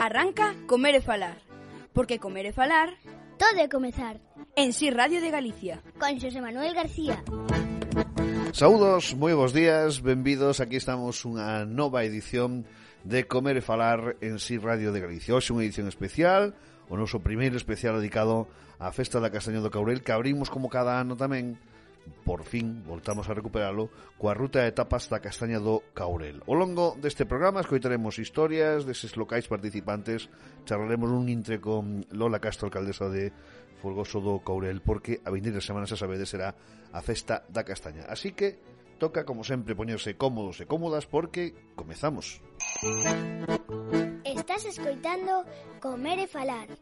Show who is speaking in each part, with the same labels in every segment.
Speaker 1: Arranca Comer e Falar, porque comer e falar
Speaker 2: todo é comezar.
Speaker 1: En Si Radio de Galicia.
Speaker 2: Con Xosé Manuel García.
Speaker 3: Saúdos, moi bons días, benvidos. Aquí estamos unha nova edición de Comer e Falar en Si Radio de Galicia. Hoxe unha edición especial, o noso primeiro especial dedicado á Festa da Castaña do Caurel, que abrimos como cada ano tamén. Por fin, voltamos a recuperalo coa ruta de etapas da Castaña do Caurel. Ao longo deste programa escoitaremos historias deses locais participantes, charlaremos un intre con Lola Castro, alcaldesa de Folgoso do Caurel, porque a vindeira semana, xa sabedes, será a Festa da Castaña. Así que toca, como sempre, poñerse cómodos e cómodas porque comezamos.
Speaker 2: Estás escoitando Comer e Falar,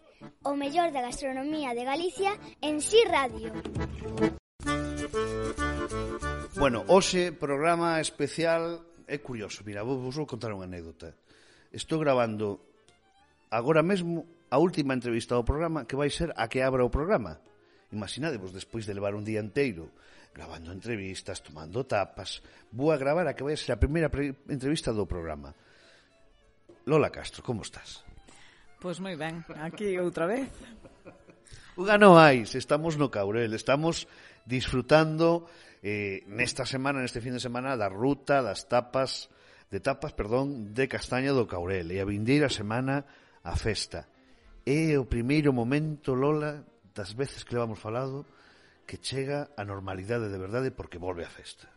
Speaker 2: o mellor da gastronomía de Galicia en Si Radio.
Speaker 3: Bueno, hoxe programa especial é curioso. Mira, vos vou contar unha anécdota. Estou grabando agora mesmo a última entrevista ao programa, que vai ser a que abra o programa. Imaginadevos, despois de levar un día inteiro gravando entrevistas, tomando tapas, vou a gravar a que vai ser a primeira entrevista do programa. Lola Castro, como estás?
Speaker 4: Pois moi ben, aquí outra vez.
Speaker 3: Unha non hai, estamos no Caurel, estamos disfrutando nesta semana, neste fin de semana, da ruta de Castaña do Caurel, e a vindeira semana a festa. É o primeiro momento, Lola, das veces que levamos falado, que chega a normalidade de verdade porque volve a festa.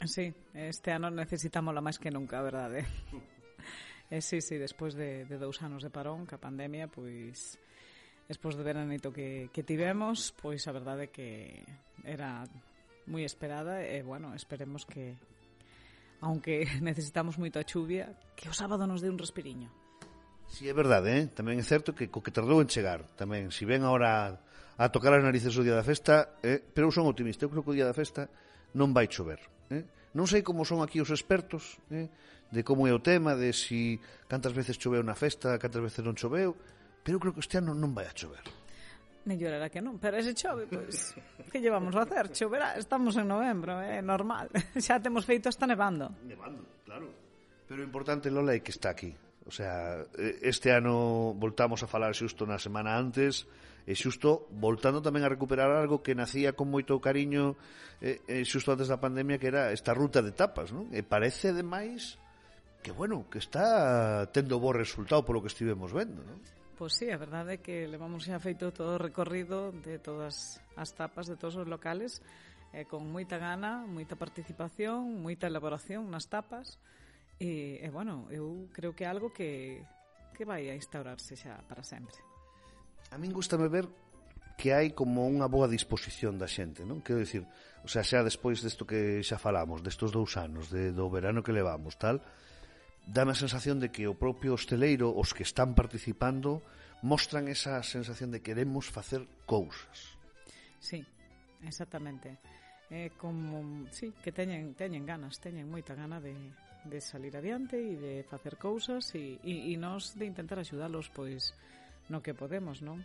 Speaker 4: Sí, este ano necesitámola máis que nunca, a verdade. Sí, despois de 2 anos de parón, que a pandemia, pois despois de veranito que tivemos, pois a verdade que era moi esperada e, bueno, esperemos que, aunque necesitamos moita chuvia, que o sábado nos dé un respiriño.
Speaker 3: Si, é verdade, tamén é certo que co que tardou en chegar, tamén, si ven ahora a tocar as narices o día da festa, pero eu son optimista, eu creo que o día da festa non vai chover. Non sei como son aquí os expertos, de como é o tema, de si cantas veces choveu na festa, cantas veces non choveu, pero eu creo que este ano non vai a chover.
Speaker 4: Mellor era que non, pero ese chove, pois, que llevamos a hacer? Choverá, estamos en novembro, é normal. Xa temos feito hasta nevando.
Speaker 3: Nevando, claro. Pero o importante, Lola, é que está aquí. O sea, este ano voltamos a falar xusto na semana antes, e xusto voltando tamén a recuperar algo que nacía con moito cariño xusto antes da pandemia, que era esta ruta de tapas, non? E parece, ademais, que, bueno, que está tendo bo resultado polo que estivemos vendo, non?
Speaker 4: Pois sí, a verdade é que levamos xa feito todo o recorrido de todas as tapas de todos os locales, con moita gana, moita participación, moita elaboración nas tapas, e bueno, eu creo que é algo que vai a instaurarse xa para sempre.
Speaker 3: A min gustame ver que hai como unha boa disposición da xente, non? Quero dicir, o sea, xa despois desto que xa falamos, destos 2 anos, do verano que levamos, tal, dáme a sensación de que o propio hosteleiro, os que están participando, mostran esa sensación de queremos facer cousas.
Speaker 4: Sí, exactamente. Como, sí, que teñen ganas, teñen moita gana de salir adiante e de facer cousas e nós de intentar axudalos, pois, no que podemos, non?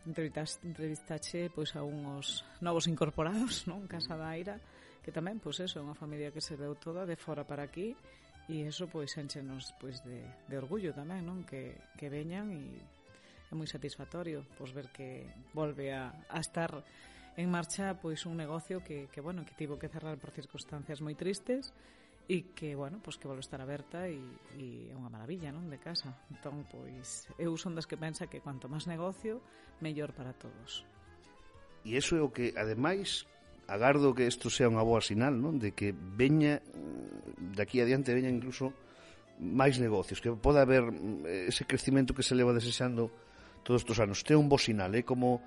Speaker 4: Entrevistache pois a unhos novos incorporados, non? Casa da Aira, que tamén, pois eso, é unha familia que se veu toda de fora para aquí, e eso pois enchenos pois de orgullo tamén, non? Que veñan, e é moi satisfactorio pois ver que volve a estar en marcha pois un negocio que bueno, que tivo que cerrar por circunstancias moi tristes, e que, bueno, pois que volve a estar aberta e é unha maravilla, non, de casa. Entón, pois, eu son das que pensa que cuanto máis negocio, mellor para todos.
Speaker 3: E iso é o que, ademais, agardo que isto sea unha boa sinal, non, de que veña, daqui adiante veña incluso máis negocios, que poda haber ese crecimento que se leva desexando todos estes anos. Este é un bo sinal, é como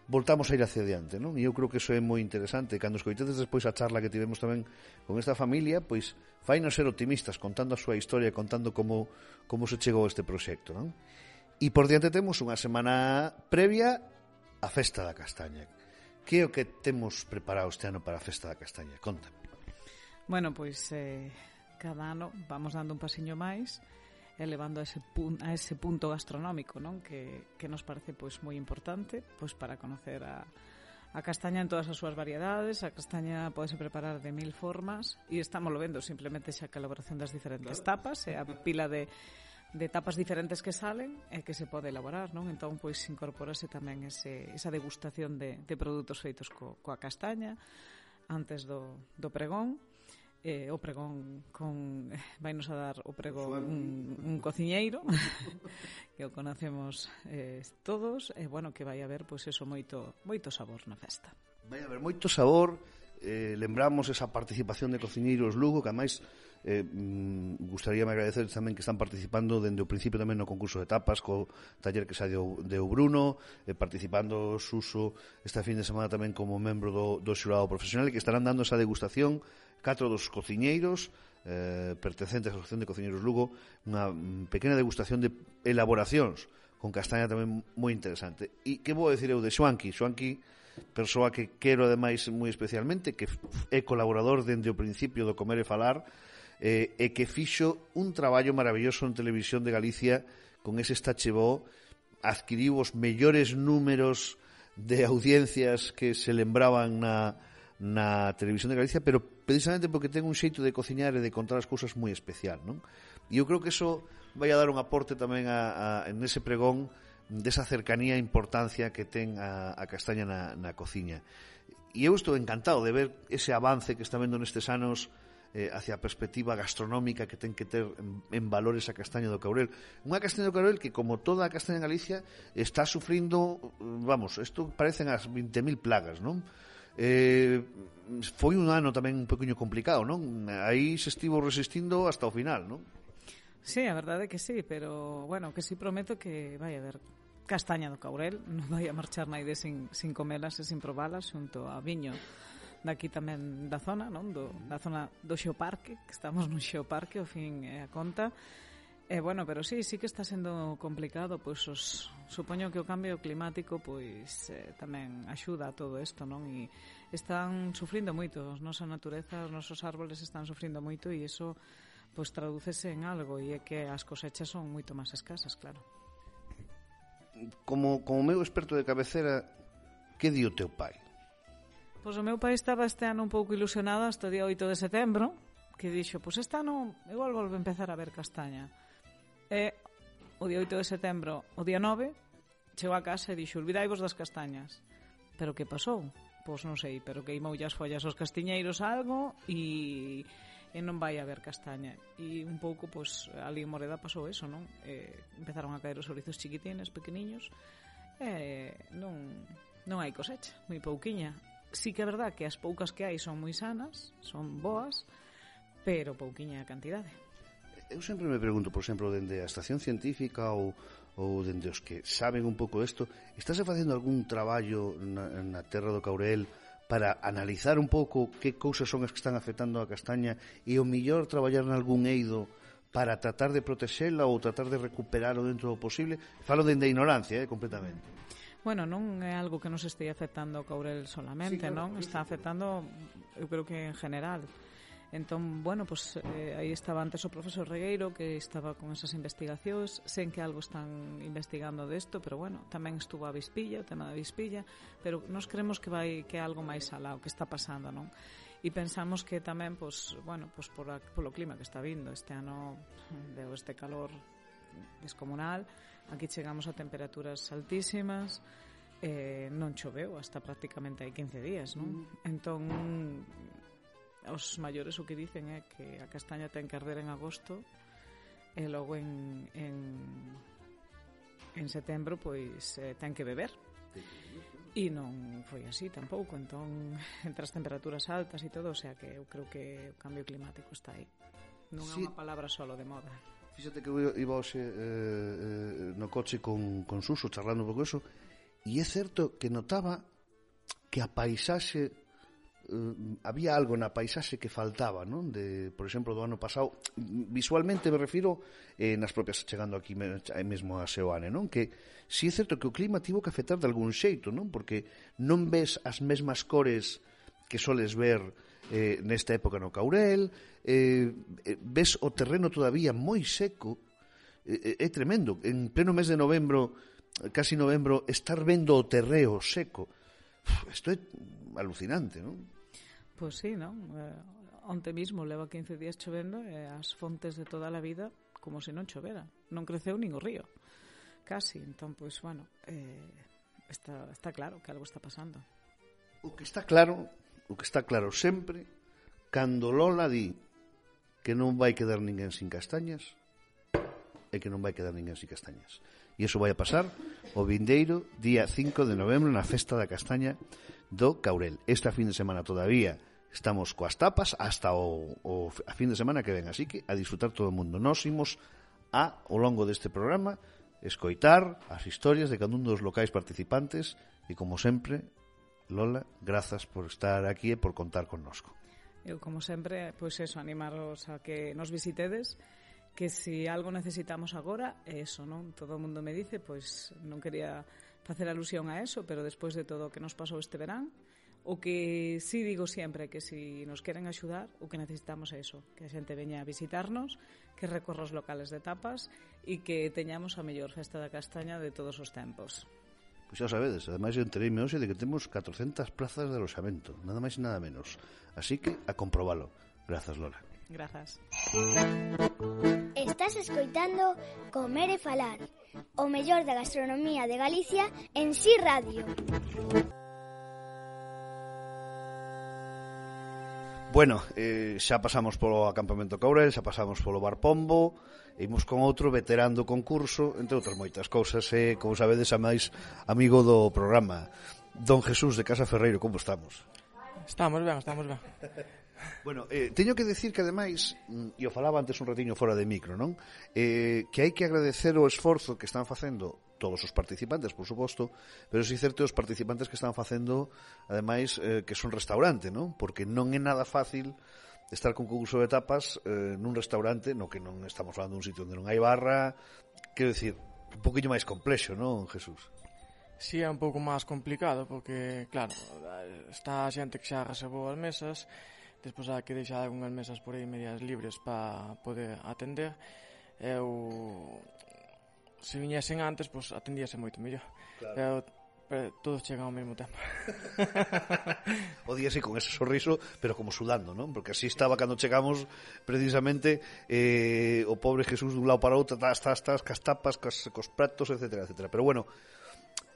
Speaker 3: voltamos a ir hacia adiante, non? E eu creo que iso é moi interesante. Cando escoitedes despois a charla que tivemos tamén con esta familia, pois fainos ser optimistas, contando a súa historia, contando como se chegou a este proxecto, non? E por diante temos unha semana previa á Festa da Castaña. Que é o que temos preparado este ano para a Festa da Castaña? Conta.
Speaker 4: Bueno, pois cada ano vamos dando un pasiño máis, elevando a ese punto gastronómico, non? Que nos parece pois moi importante pois para conocer a a castaña en todas as súas variedades, a castaña podese preparar de 1000 formas e estamos lo vendo simplemente xa a elaboración das diferentes tapas e a pila de tapas diferentes que salen e que se pode elaborar, non? Entón, pois, incorporase tamén esa degustación de produtos feitos coa castaña antes do pregón. O pregón vainos a dar o pregón un cociñeiro que o conocemos todos e bueno, que vai haber pois eso moito sabor na festa.
Speaker 3: Vai haber moito sabor, lembramos esa participación de cociñeiros Lugo, que ademais gustaríame agradecer tamén que están participando dende o principio tamén no concurso de tapas co taller que xa deu Bruno, participando Suso esta fin de semana tamén como membro do xurado profesional, e que estarán dando esa degustación 4 dos cociñeiros pertencentes á Asociación de Cociñeiros Lugo, unha pequena degustación de elaboracións con castaña tamén moi interesante. E que vou decir eu de Xoanqui, persoa que quero ademais moi especialmente, que é colaborador dende o principio do Comer e Falar, e que fixo un traballo maravilloso en Televisión de Galicia con ese Estachebó, adquiriu os mellores números de audiencias que se lembraban na Televisión de Galicia, pero precisamente porque ten un xeito de cociñar e de contar as cousas moi especial, non? E eu creo que eso vai a dar un aporte tamén en ese pregón desa cercanía e importancia que ten a castaña na cociña. E eu estou encantado de ver ese avance que está vendo nestes anos hacia a perspectiva gastronómica que ten que ter en valores a castaña do Caurel. Unha castaña do Caurel que, como toda a castaña en Galicia, está sufrindo, vamos, isto parecen as 20.000 plagas, non? Foi un ano tamén un poquinho complicado, non? Aí se estivo resistindo hasta o final, non?
Speaker 4: Sí, a verdade é que sí, pero, bueno, que sí prometo que vai haber castaña do Caurel, non vai a marchar naide sin comelas e sin probalas, xunto a viño daqui tamén da zona, non? Da zona do Xeoparque, que estamos no Xeoparque, ao fin é a conta. Bueno, pero sí que está sendo complicado, pois supoño que o cambio climático pois tamén axuda a todo isto, non? E están sufrindo moito, a nosa natureza, os nosos árboles están sufrindo moito e iso pois tradúcese en algo, e é que as cosechas son moito máis escasas, claro.
Speaker 3: Como meu experto de cabecera, que di o teu pai?
Speaker 4: Pois o meu pai estaba este ano un pouco ilusionado hasta o día 8 de setembro, que dixo, pois este ano igual volve a empezar a ver castaña. E o día 8 de setembro, o día 9, chegou a casa e dixo, olvidaivos das castañas. Pero que pasou? Pois non sei, pero queimoulle as follas aos castiñeiros algo e non vai haber castaña. E un pouco, pois, ali en Moreda pasou eso, non? Empezaron a caer os ourizos chiquitines, pequeniños, e non hai cosecha, moi pouquiña. Sí que é verdad que as poucas que hai son moi sanas, son boas, pero pouquiña a cantidade.
Speaker 3: Eu sempre me pregunto, por exemplo, dende a estación científica ou dende os que saben un pouco isto, estáse facendo algún traballo na terra do Caurel para analizar un pouco que cousas son as que están afectando a castaña e o mellor traballar nalgún eido para tratar de protexela ou tratar de recuperalo dentro do posible? Falo dende a ignorancia, completamente.
Speaker 4: Bueno, non é algo que nos este afectando o Caurel solamente, sí, claro, non? Está afectando, eu creo que en general. Entón, bueno, pues aí estaba antes o profesor Regueiro, que estaba con esas investigacións, sen que algo están investigando desto, pero bueno, tamén estuvo a Vispilla, o tema da Vispilla, pero nos creemos que é algo máis alá o que está pasando, non? E pensamos que tamén, pues, bueno, pues polo clima que está vindo, este ano deu este calor descomunal, aquí chegamos a temperaturas altísimas, non choveu hasta prácticamente hai 15 días, non? Entón, os maiores o que dicen é que a castaña ten que arder en agosto e logo en setembro pois ten que beber, e non foi así tampouco. Entón, entre as temperaturas altas e todo, o sea que eu creo que o cambio climático está aí, non é unha palabra solo de moda.
Speaker 3: Fíxate que eu iba hoxe no coche con Suso charlando un pouco eso, e é certo que notaba que a paisaxe había algo na paisaxe que faltaba, non? Por exemplo, do ano pasado, visualmente me refiro nas propias, chegando aquí mesmo a Seoane, non? Que si é certo que o clima tivo que afectar de algún xeito, non? Porque non ves as mesmas cores que soles ver nesta época no Caurel, ves o terreno todavía moi seco, é tremendo. En pleno mes de novembro, casi novembro, estar vendo o terreo seco Isto é alucinante, non?
Speaker 4: Pois sí, non? Onte mismo leva 15 días chovendo e as fontes de toda a vida como se non chovera. Non creceu nin o río. Casi. Entón, pois, bueno, está claro que algo está pasando.
Speaker 3: O que está claro sempre, cando Lola di que non vai quedar ninguén sin castañas, é que non vai quedar ninguén sin castañas. E iso vai a pasar o vindeiro día 5 de novembro na Festa da Castaña do Caurel. Esta fin de semana todavía estamos coas tapas hasta a fin de semana que ven, así que a disfrutar todo o mundo. Nós imos ao longo deste programa escoitar as historias de cada un dos locais participantes e, como sempre, Lola, grazas por estar aquí e por contar connosco.
Speaker 4: Eu, como sempre, pois eso, animaros a que nos visitedes, que se algo necesitamos agora, é eso, non? Todo o mundo me dice, pois non quería facer alusión a eso, pero despois de todo o que nos pasou este verán, o que sí digo sempre que se nos queren axudar, o que necesitamos é eso, que a xente veña a visitarnos, que recorra os locales de tapas e que teñamos a mellor festa da castaña de todos os tempos.
Speaker 3: Pois xa sabedes, ademais eu entereime hoxe de que temos 400 plazas de aloxamento, nada máis e nada menos. Así que a comprobalo. Grazas, Lola.
Speaker 4: Grazas.
Speaker 2: Estás escoitando Comer e Falar, o mellor da gastronomía de Galicia en Si Radio.
Speaker 3: Bueno, xa pasamos polo acampamento Caurel, xa pasamos polo Bar Pombo, e imos con outro veterano do concurso, entre outras moitas cousas, e, como sabedes, a máis amigo do programa, Don Jesús de Casa Ferreiro. Como estamos?
Speaker 5: Estamos ben.
Speaker 3: Bueno, teño que decir que, ademais, e o falaba antes un ratiño fora de micro, non? Que hai que agradecer o esforzo que están facendo todos os participantes, por suposto, pero si certo os participantes que están facendo, ademais, que son restaurante, non? Porque non é nada fácil estar con concurso de tapas nun restaurante no que non estamos falando dun sitio onde non hai barra, quero dicir, un poquinho máis complexo, non, Jesús?
Speaker 5: Si é un pouco máis complicado, porque, claro, está a xente que xa reservou as mesas, despois hai que deixar algunhas mesas por aí medias libres para poder atender. Se viñesen antes, pois atendíase moito mellor. Claro. Pero todos chegan ao mesmo tempo.
Speaker 3: O día así con ese sorriso, pero como sudando, non? Porque así estaba cando chegamos, precisamente, o pobre Jesús dun lado para outro, cas tapas, cos pratos, etcétera, etcétera. Pero bueno,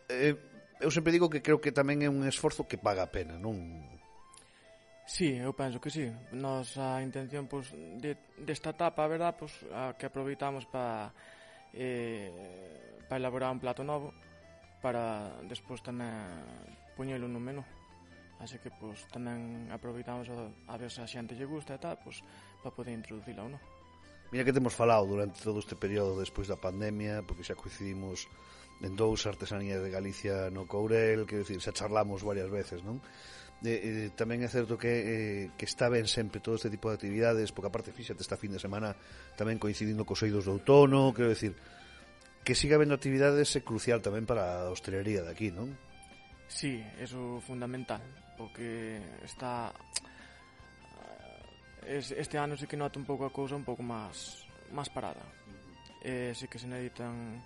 Speaker 3: eu sempre digo que creo que tamén é un esforzo que paga a pena, non?
Speaker 5: Sí, eu penso que sí. Nosa intención, pois, desta etapa, a verdad, pois, a que aproveitamos para elaborar un plato novo, para despois tamén poñelo no menú. Así que, pois, tamén aproveitamos a ver se a xente lle gusta e tal, pois, para poder introducila ou non.
Speaker 3: Mira que temos falado durante todo este período despois da pandemia, porque xa coincidimos en dous artesanías de Galicia no Courel, quero dicir, xa charlamos varias veces, non? Tamén é certo que está ben sempre todo este tipo de actividades, porque aparte fíxate esta fin de semana tamén coincidindo cos eidos de outono, quero dicir, que siga habendo actividades é crucial tamén para a hostelería de aquí, non?
Speaker 5: Sí, eso é fundamental, porque está este ano sí que nota un pouco a cousa un pouco máis parada. Sí que se necesitan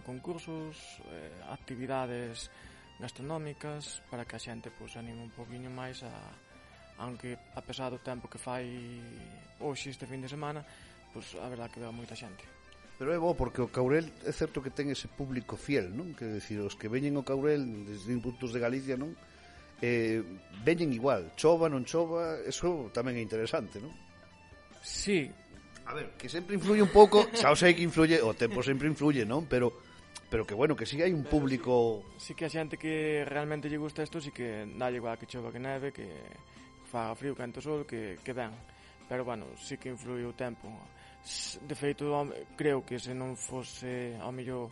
Speaker 5: concursos, actividades gastronómicas para que a xente pois anime un poquinho máis aunque a pesar do tempo que fai hoxe este fin de semana, pois a verdade que veo moita xente.
Speaker 3: Pero é bo porque o Caurel é certo que ten ese público fiel, non? Quero dicir, os que veñen ao Caurel desde puntos de Galicia, non? Veñen igual, chova, non chova, eso tamén é interesante, non?
Speaker 5: Sí.
Speaker 3: A ver, que sempre influye un pouco, xa o sei que influye, o tempo sempre influye, non? Pero que bueno, que si hai un público...
Speaker 5: Sí que a xente que realmente lle gusta isto, sí que dalle igual que chova que neve, que faga frío, quente o sol, que ben. Pero bueno, sí que influye o tempo. De feito, creo que se non fose ao mellor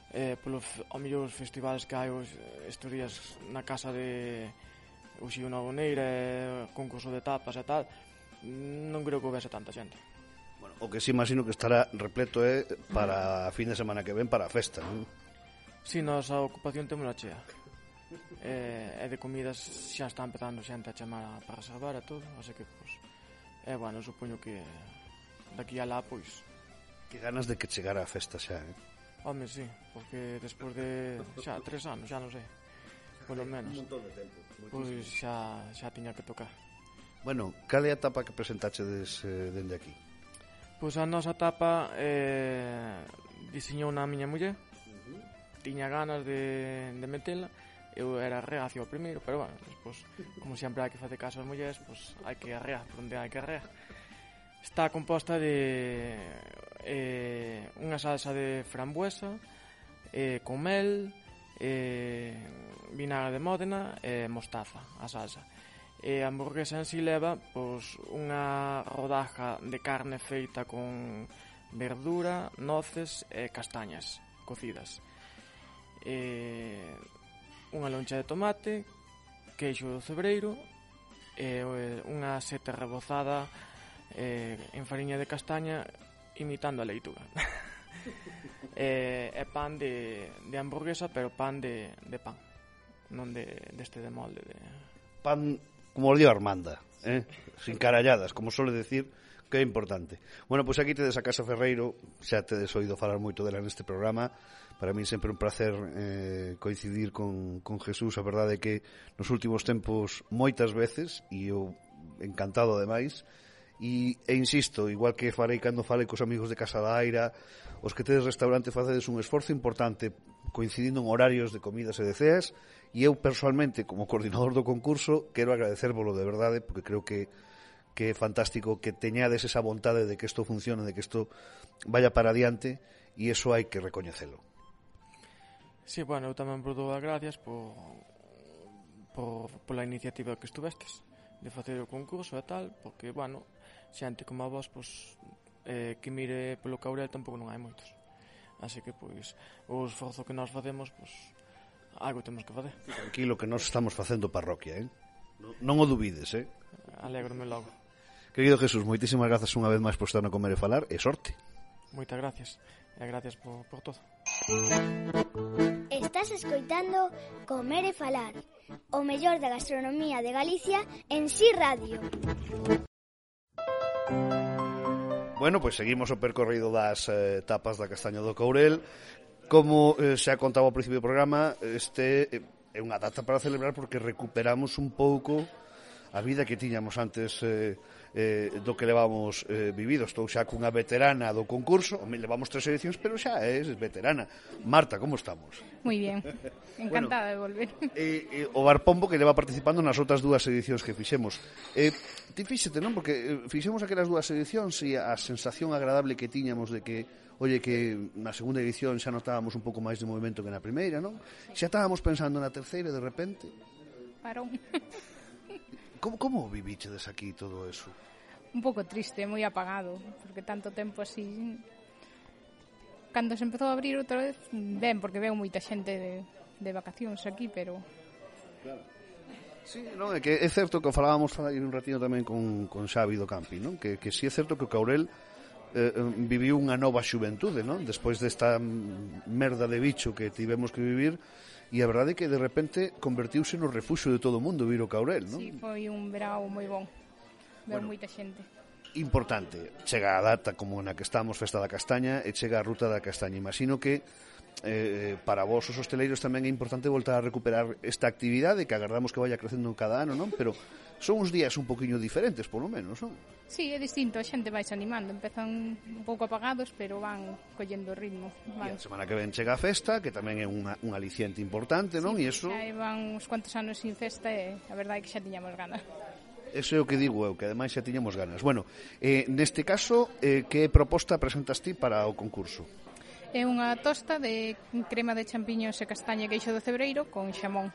Speaker 5: os festivales que hai estes días na casa de Uxío Naboneira, concurso de tapas e tal, non creo que houvese tanta xente.
Speaker 3: Bueno, o que sí imagino que estará repleto para a fin de semana que ven para a festa, non?
Speaker 5: Si, nosa ocupación temos a chea. E de comidas xa está empezando xente a chamar para reservar e todo, así que, pois, bueno, supoño que daqui a lá, pois...
Speaker 3: Que ganas de que chegara a festa xa,
Speaker 5: Home, sí, porque despois de xa 3 anos, xa non sei. polo menos.
Speaker 3: Un montón de tempo.
Speaker 5: Pois xa tiña que tocar.
Speaker 3: Bueno, cal é a etapa que presentachedes dende aquí?
Speaker 5: Pois a nosa tapa diseñou na miña muller. Tiña ganas de metela. Eu era reacio ao primeiro, pero bueno, despois, como sempre hai que facer caso ás mulleres, pois hai que arrear por onde hai que arrear. Está composta de unha salsa de frambuesa, con mel, vinagre de Módena e mostaza, a salsa. E a hamburguesa en si leva pois, unha rodaja de carne feita con verdura, noces e castañas cocidas. Unha loncha de tomate, queixo do cebreiro e unha seta rebozada en fariña de castaña imitando a leituga. É pan de hamburguesa, pero pan de pan, non deste de molde de...
Speaker 3: Pan como os dio Armanda, sin caralladas, como suele decir, que é importante. Bueno, pois aquí tedes a Casa Ferreiro, xa tedes oído falar moito dela neste programa. Para mí sempre un placer coincidir con Jesús. A verdade é que nos últimos tempos moitas veces, e eu encantado ademais, e insisto, igual que farei cando falei cos amigos de Casa da Aira, os que tedes restaurante facedes un esforzo importante coincidindo en horarios de comidas e de ceas, e eu personalmente, como coordinador do concurso, quero agradecérvolo de verdade, porque creo que é fantástico que teñades esa vontade de que isto funcione, de que isto vaya para adiante, e iso hai que recoñecelo.
Speaker 5: Sí, bueno, eu tamén vos dou as gracias pola iniciativa que estuvestes de facer o concurso e tal, porque, bueno, xente como a vos, pois, que mire polo Caurel tampouco non hai moitos. Así que, pois, o esforzo que nós facemos, pois, algo temos que facer.
Speaker 3: Tranquilo que nós estamos facendo parroquia, Non o dubides,
Speaker 5: Alégrome logo.
Speaker 3: Querido Jesús, moitísimas grazas unha vez máis por estar no Comer e Falar, e sorte.
Speaker 5: Moitas gracias, e gracias por todo.
Speaker 2: Estás escoitando Comer e Falar, o mellor da gastronomía de Galicia en Si Radio.
Speaker 3: Bueno, pois seguimos o percorrido das tapas da Castaña do Caurel. Como xa contaba ao principio do programa, este é unha data para celebrar porque recuperamos un pouco a vida que tiñamos antes do que levamos vivido. Estou xa cunha veterana do concurso, levamos 3 edicións, pero xa és veterana. Marta, como estamos?
Speaker 6: Moi bien, encantada de volver.
Speaker 3: O Bar Pombo que leva participando nas outras 2 edicións que fixemos. Ti fíxete, non? Porque fixemos aquelas 2 edicións e a sensación agradable que tiñamos de que, oye, que na segunda edición xa notábamos un pouco máis de movimento que na primeira, non? Xa estábamos pensando na terceira de repente.
Speaker 6: Parón.
Speaker 3: Como vivíchedes aquí todo eso?
Speaker 6: Un pouco triste, moi apagado, porque tanto tempo así... Cando se empezou a abrir outra vez, ben, porque veo moita xente de vacacións aquí, pero...
Speaker 3: Claro. Sí, non, é que é certo que falábamos aí un ratino tamén con Xavi do Campi, non? Que si é certo que o Caurel viviu unha nova xuventude, non? Despois desta merda de bicho que tivemos que vivir, e a verdade é que de repente convertiuse no refuxo de todo o mundo vir o Caurel, non?
Speaker 6: Sí, foi un verao moi bon. Veo moita xente.
Speaker 3: Importante, chega a data como na que estamos, Festa da Castaña, e chega a Ruta da Castaña. Imagino que para vos os hosteleiros tamén é importante voltar a recuperar esta actividade que agardamos que vaya crecendo cada ano, non? Pero son uns días un poquinho diferentes, polo menos, non?
Speaker 6: Sí, é distinto, a xente vai se animando, empezan un pouco apagados, pero van collendo ritmo.
Speaker 3: E a semana que ven chega a festa, que tamén é un aliciente importante, non?
Speaker 6: Sí,
Speaker 3: E eso...
Speaker 6: xa van uns cuantos anos sin festa e a verdade é que xa tiñamos ganas.
Speaker 3: Eso é o que digo eu, que ademais xa tiñamos ganas. Bueno, neste caso, que proposta presentas ti para o concurso?
Speaker 6: É unha tosta de crema de champiñóns e castaña e queixo do cebreiro con xamón.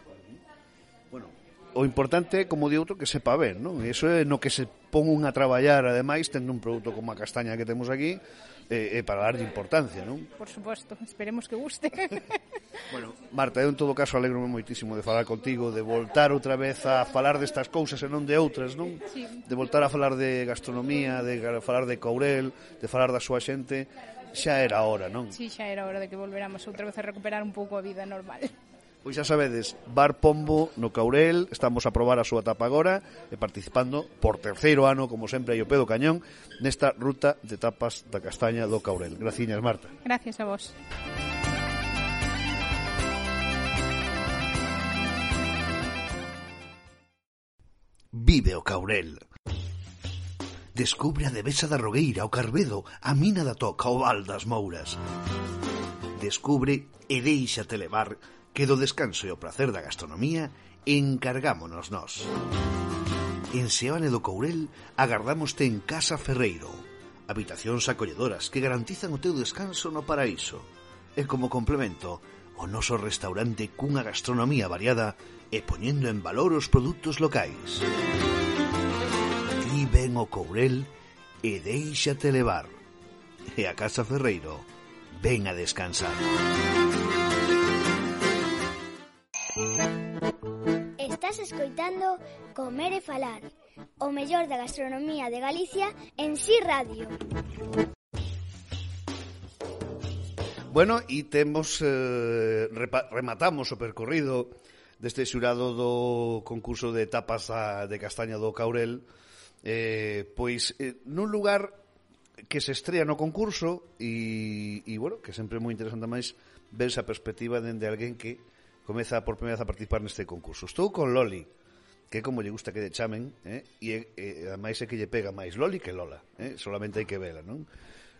Speaker 3: Bueno, o importante é, como di outro, que sepa ben, non? E iso é no que se pon un a traballar, ademais, tendo un produto como a castaña que temos aquí, para darlle importancia, non?
Speaker 6: Por suposto, esperemos que guste.
Speaker 3: Bueno, Marta, eu en todo caso alegrome moitísimo de falar contigo, de voltar outra vez a falar destas cousas e non de outras, non?
Speaker 6: Sí.
Speaker 3: De voltar a falar de gastronomía, de falar de Caurel, de falar da súa xente. Xa era hora, non?
Speaker 6: Sí, xa era hora de que volveramos outra vez a recuperar un pouco a vida normal.
Speaker 3: Pois xa sabedes, Bar Pombo no Caurel, estamos a probar a súa tapa agora e participando por 3º ano, como sempre, aí o pé do cañón, nesta ruta de tapas da Castaña do Caurel. Graciñas, Marta.
Speaker 6: Gracias a vos.
Speaker 3: Vive o Caurel. Descubre a Devesa da Rogueira, o Carbedo, a Mina da Toca, o Val das Mouras. Descubre e déixate levar, que do descanso e o placer da gastronomía encargámonos nós. En Seoane do Courel agardámoste en Casa Ferreiro, habitacións acolledoras que garantizan o teu descanso no paraíso. E como complemento, o noso restaurante cunha gastronomía variada e poñendo en valor os produtos locais. Ti ven o Courel e déixate levar. E a Casa Ferreiro ven a descansar.
Speaker 2: Estás escoitando Comer e Falar, o mellor da gastronomía de Galicia en Si Radio.
Speaker 3: Bueno, e temos rematamos o percorrido deste xurado do concurso de tapas de castaña do Caurel, pois nun lugar que se estrea no concurso e bueno, que sempre é moi interesante máis ver esa perspectiva dende alguén que comeza por primeira vez a participar neste concurso. Estou con Loli, que como lle gusta que lle chamen, e ademais é que lle pega máis Loli que Lola, solamente hai que vela, non?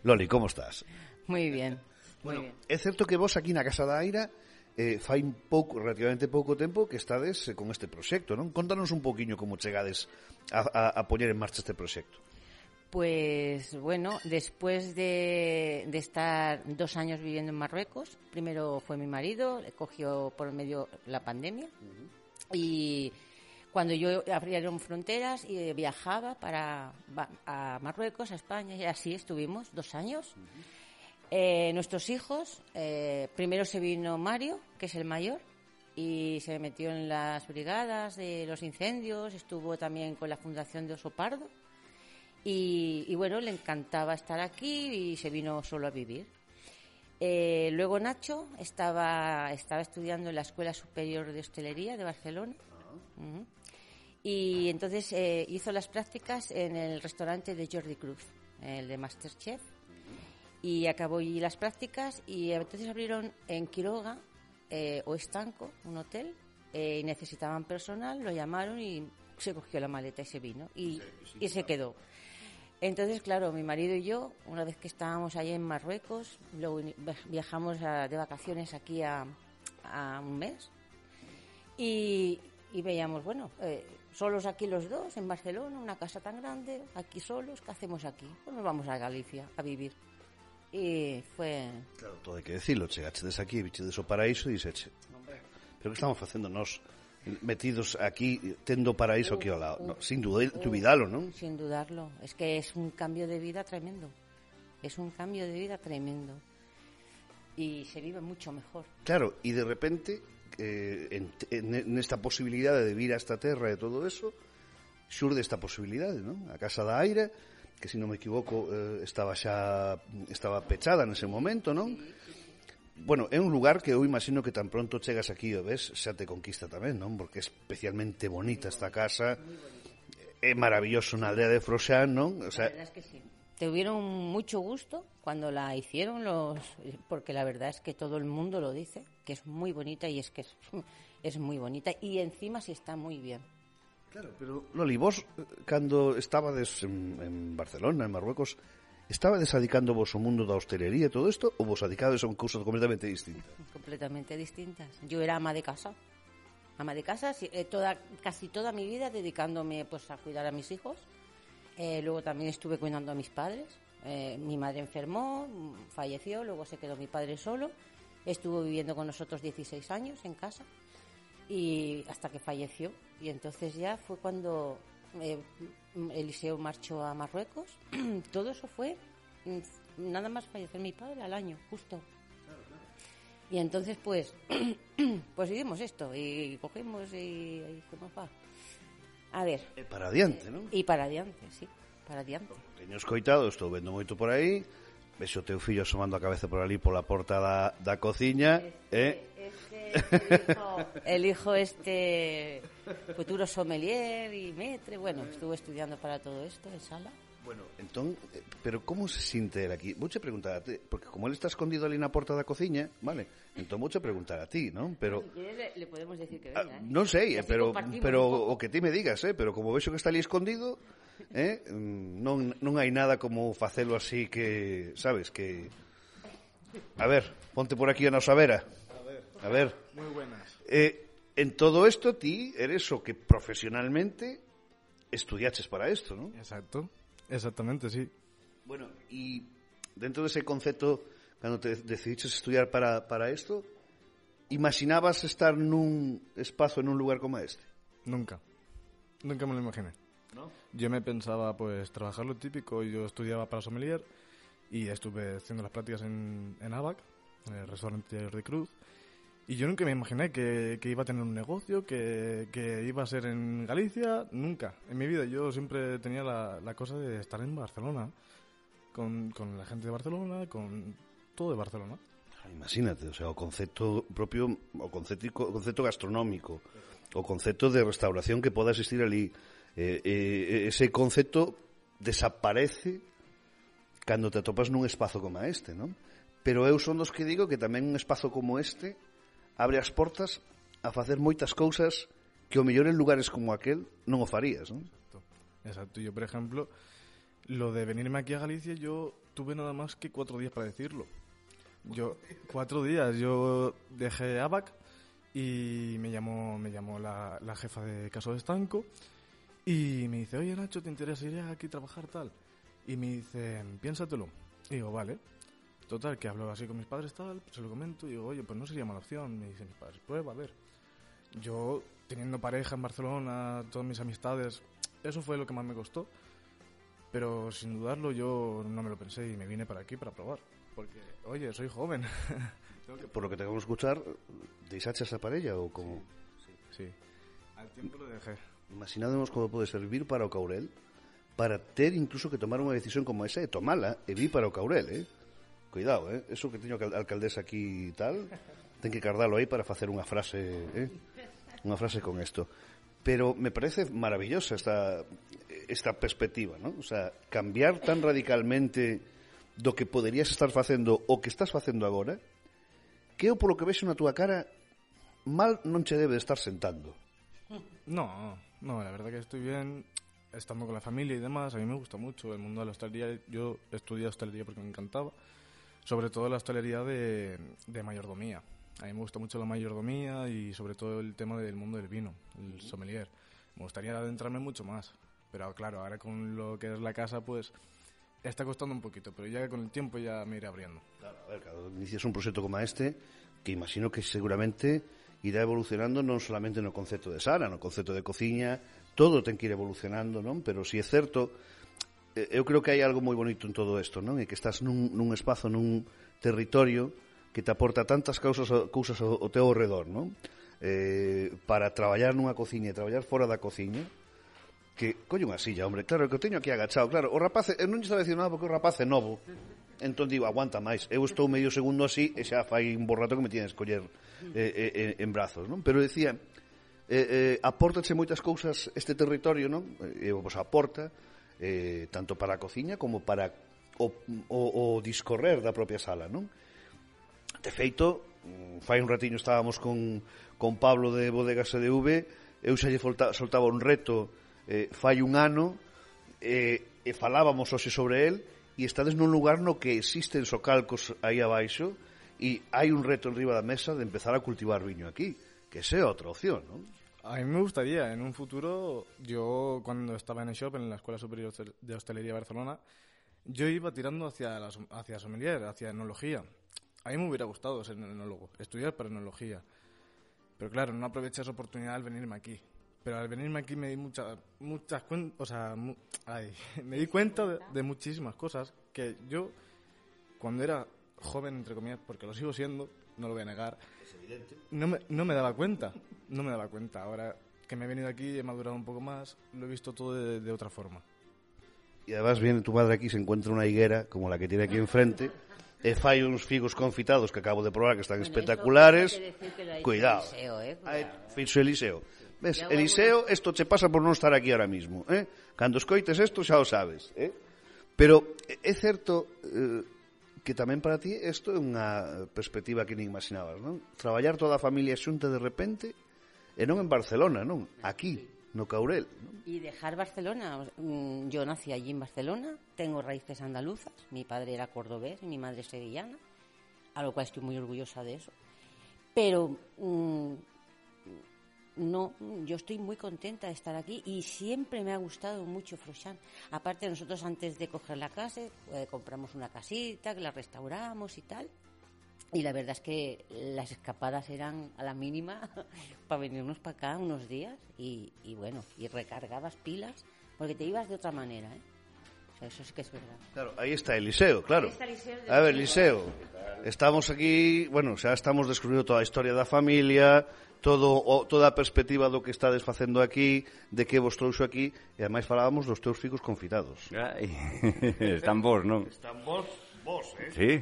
Speaker 3: Loli, como estás?
Speaker 7: Moi bien.
Speaker 3: Bueno, é certo que vos aquí na Casa da Aira fai relativamente pouco tempo que estades con este proxecto, non? Contanos un poquinho como chegades a poñer en marcha este proxecto.
Speaker 7: Pues bueno, después de estar 2 años viviendo en Marruecos, primero fue mi marido, le cogió por medio la pandemia, y cuando yo abrieron fronteras y viajaba a Marruecos, a España, y así estuvimos 2 años. Nuestros hijos, primero se vino Mario, que es el mayor, y se metió en las brigadas de los incendios, estuvo también con la Fundación de Oso Pardo. Y bueno, le encantaba estar aquí y se vino solo a vivir. Luego Nacho estaba estudiando en la Escuela Superior de Hostelería de Barcelona. Y entonces hizo las prácticas en el restaurante de Jordi Cruz, el de Masterchef. Y acabó allí las prácticas y entonces abrieron en Quiroga o Estanco, un hotel, y necesitaban personal, lo llamaron y se cogió la maleta y se vino y se quedó. Entonces, claro, mi marido y yo, una vez que estábamos allí en Marruecos, luego viajamos de vacaciones aquí a un mes y veíamos, bueno, solos aquí los dos, en Barcelona, una casa tan grande, aquí solos, ¿qué hacemos aquí? Pues nos vamos a Galicia a vivir. Y fue...
Speaker 3: Claro, todo hai que decirlo, chegachedes aquí, bichedes o paraíso e dixeche, pero que estamos facendo nós metidos aquí, tendo paraíso aquí ao lado? No, sin dudalo, non?
Speaker 7: Sin dudarlo, es que es un cambio de vida tremendo, es un cambio de vida tremendo y se vive mucho mejor.
Speaker 3: Claro, e de repente nesta posibilidade de vir a esta terra e todo eso xurde esta posibilidade, non? A Casa da Aira, que se non me equivoco estaba pechada nese momento, non? Bueno, é un lugar que eu imagino que tan pronto chegas aquí e ves, xa te conquista tamén, non? Porque é especialmente bonita esta casa, é maravilloso na aldea de Froxán, non? O sea,
Speaker 7: la verdad es que sí. Tuvieron mucho gusto cuando la hicieron porque la verdad es que todo el mundo lo dice, que es muy bonita y es que es muy bonita y encima sí está muy bien.
Speaker 3: Claro, pero Loli, vos cando estabades en Barcelona, en Marruecos, estabades dedicando vos ao mundo da hostelería e todo isto, ou vos dedicades a un cousa completamente distinta?
Speaker 7: Completamente distintas. Yo era ama de casa, casi toda mi vida dedicándome pues a cuidar a mis hijos. Luego también estuve cuidando a mis padres. Mi madre enfermó, falleció, luego se quedó mi padre solo. Estuvo viviendo con nosotros 16 años en casa y hasta que falleció. Y entonces ya fue cuando Eliseo marchó a Marruecos. Todo eso fue nada más fallecer mi padre al año, justo. Y entonces pues hicimos esto y cogimos y ¿cómo va? A ver.
Speaker 3: E para adiante, non?
Speaker 7: E para adiante, sí, para adiante.
Speaker 3: Teño escoitado, estou vendo moito por aí, vexo o teu fillo asomando a cabeza por ali pola porta da cociña,
Speaker 7: el hijo futuro sommelier y maître, bueno, estuvo estudiando para todo esto en sala.
Speaker 3: Bueno, entón, pero como se sinte el aquí? Vouche preguntar a ti, porque como ele está escondido ali na porta da cociña, vale? Entón vouche preguntar a ti, non? Pero
Speaker 7: Si quieres, le podemos decir que venga,
Speaker 3: non sei, pero
Speaker 7: un
Speaker 3: o que ti me digas, pero como vexo que está ali escondido, non hai nada como facelo así que, sabes, que a ver, ponte por aquí a nosa vera. A ver.
Speaker 8: Moi buenas.
Speaker 3: En todo isto ti eres o que profesionalmente estudiaches para isto, non?
Speaker 8: Exacto. Exactamente, sí.
Speaker 3: Bueno, y dentro de ese concepto, cando te decidiches estudiar para esto, imaginabas estar nun espazo, en un lugar como este?
Speaker 8: Nunca me lo imaginé.
Speaker 3: ¿No?
Speaker 8: Yo me pensaba, pues, trabajar lo típico. Yo estudiaba para sommelier y estuve haciendo las prácticas en ABAC, en el restaurante de Cruz. Y yo nunca me imaginé que iba a tener un negocio, que iba a ser en Galicia. Nunca. En mi vida yo siempre tenía la cosa de estar en Barcelona, con la gente de Barcelona, con todo de Barcelona.
Speaker 3: Imagínate, o sea, o concepto propio, o concepto gastronómico, o concepto de restauración que poda existir ali. Ese concepto desaparece cando te atopas nun espazo como este, non? Pero eu son dos que digo que tamén un espazo como este abre as portas a facer moitas cousas que o mellor en lugares como aquel non o farías, non?
Speaker 8: Exacto. Yo, por ejemplo, lo de venirme aquí a Galicia, yo tuve nada más que 4 días para decirlo. 4 días. Yo dejé ABAC y me llamó la jefa de Caso de Estanco y me dice, oye, Nacho, ¿te interesaría aquí trabajar tal? Y me dice, piénsatelo. Y digo, vale. Total, que hablo así con mis padres, tal, se lo comento y digo, oye, pues no sería mala opción. Me dicen mis padres, prueba, a ver. Yo, teniendo pareja en Barcelona, todas mis amistades, eso fue lo que más me costó. Pero sin dudarlo yo no me lo pensé y me vine para aquí para probar. Porque, oye, soy joven.
Speaker 3: Por lo que te acabo de escuchar, ¿deixaches a parella ou como?
Speaker 8: Sí. Al tiempo lo dejé.
Speaker 3: Imaginádemos como pode servir para o Caurel, para ter incluso que tomar unha decisión como esa e tomala e vir para o Caurel, Cuidado, eso que teño a alcaldesa aquí e tal, ten que cardalo aí para facer unha frase, unha frase con isto. Pero me parece maravillosa esta perspectiva, ¿no? O sea, cambiar tan radicalmente do que poderías estar facendo o que estás facendo agora, que eu polo que vexo na túa cara mal non che debe de estar sentando.
Speaker 8: No, la verdad que estoy bien estando con la familia y demás. A mí me gusta mucho el mundo de la hostelería. Yo estudié hostelería porque me encantaba. Sobre todo la hostelería de mayordomía. A mí me gusta mucho la mayordomía y sobre todo el tema del mundo del vino, el sommelier. Me gustaría adentrarme mucho más. Pero claro, ahora con lo que es la casa, pues está costando un poquito. Pero ya con el tiempo ya me iré abriendo.
Speaker 3: Claro, a ver, cando inicias un proxecto como este, que imagino que seguramente irá evolucionando non solamente no concepto de sala, no concepto de cociña, todo ten que ir evolucionando, non? Pero si é certo, eu creo que hai algo moi bonito en todo isto, non? E que estás nun espazo, nun territorio que te aporta tantas cousas ao teu redor, non? Para traballar nunha cociña e traballar fora da cociña, que colle unha silla, hombre, claro, que o teño aquí agachado, claro, o rapaz, eu non lle estaba dicindo nada porque o rapaz é novo, entón digo, aguanta máis, eu estou medio segundo así e xa fai un borrato que me tiene que escoller en brazos, non? Pero decía, apórtache moitas cousas este territorio, non? E vos aporta tanto para a cociña como para o discorrer da propia sala, non? De feito, fai un ratiño estábamos con Pablo de Bodegas EDV, eu xa lle soltaba un reto fai un ano e falábamos hoxe sobre el e estades nun lugar no que existen socalcos aí abaixo e hai un reto en riba da mesa de empezar a cultivar viño aquí, que esa é outra opción, non?
Speaker 8: A mí me gustaría, en un futuro, yo cuando estaba en el shop, en la Escuela Superior de Hostelería de Barcelona, yo iba tirando hacia sommelier, hacia enología. A mí me hubiera gustado ser enólogo, estudiar para enología. Pero claro, no aproveché esa oportunidad al venirme aquí. Pero al venirme aquí me di me di cuenta de muchísimas cosas que yo, cuando era joven, entre comillas, porque lo sigo siendo, no lo voy a negar, no me daba cuenta. Ahora que me he venido aquí, he madurado un poco más, lo he visto todo de otra forma.
Speaker 3: Y además viene tu madre aquí, se encuentra una higuera como la que tiene aquí enfrente, fai uns figos confitados que acabo de probar que están espectaculares. Cuidado, fixo Eliseo. ¿Ves? Eliseo, esto che pasa por non estar aquí ahora mismo, Cando escoites esto xa o sabes, Pero é certo que tamén para ti isto é unha perspectiva que nin imaginabas, non? Traballar toda a familia xunta de repente e non en Barcelona, non? Aquí, no Caurel, non?
Speaker 7: Y dejar Barcelona. Yo nací allí en Barcelona, tengo raíces andaluzas, mi padre era cordobés y mi madre sevillana, a lo cual estoy muy orgullosa de eso. Pero no, yo estoy muy contenta de estar aquí y siempre me ha gustado mucho Froixán. Aparte, nosotros antes de coger la casa compramos una casita, que la restauramos y tal. Y la verdad es que las escapadas eran a la mínima para venirnos para acá unos días y bueno, y recargabas pilas porque te ibas de otra manera, ¿eh? O sea, eso sí que es verdad.
Speaker 3: Claro, aí está Eliseo, claro. A ver, Eliseo, estamos aquí, bueno, xa estamos descubrindo toda a historia da familia, toda a perspectiva do que estades facendo aquí, de que vos trouxo aquí, e ademais falábamos dos teus fillos confitados.
Speaker 9: Ai, están vos, non?
Speaker 3: Están vos,
Speaker 9: Sí.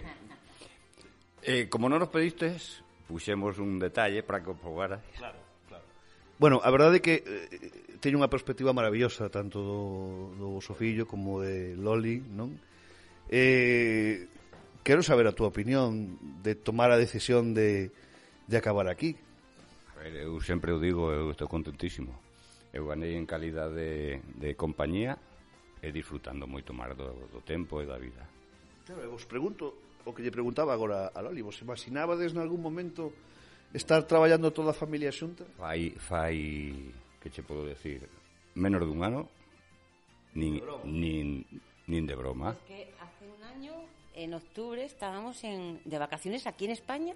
Speaker 9: Como non nos pedistes, puxemos un detalle para que o probaras.
Speaker 3: Claro. Bueno, a verdade é que teño unha perspectiva maravillosa tanto do vosso fillo como de Loli, non? Quero saber a túa opinión de tomar a decisión de acabar aquí.
Speaker 9: A ver, eu sempre o digo, eu estou contentísimo. Eu ganei en calidade de compañía e disfrutando moito máis do tempo e da vida.
Speaker 3: Claro, vos pregunto o que lle preguntaba agora a Loli, vos imaginabades en algún momento estar traballando toda a familia xunta?
Speaker 9: Fai, que che podo decir, menos dun ano, nin de broma.
Speaker 7: Es que hace un año, en octubre, estábamos de vacaciones aquí en España,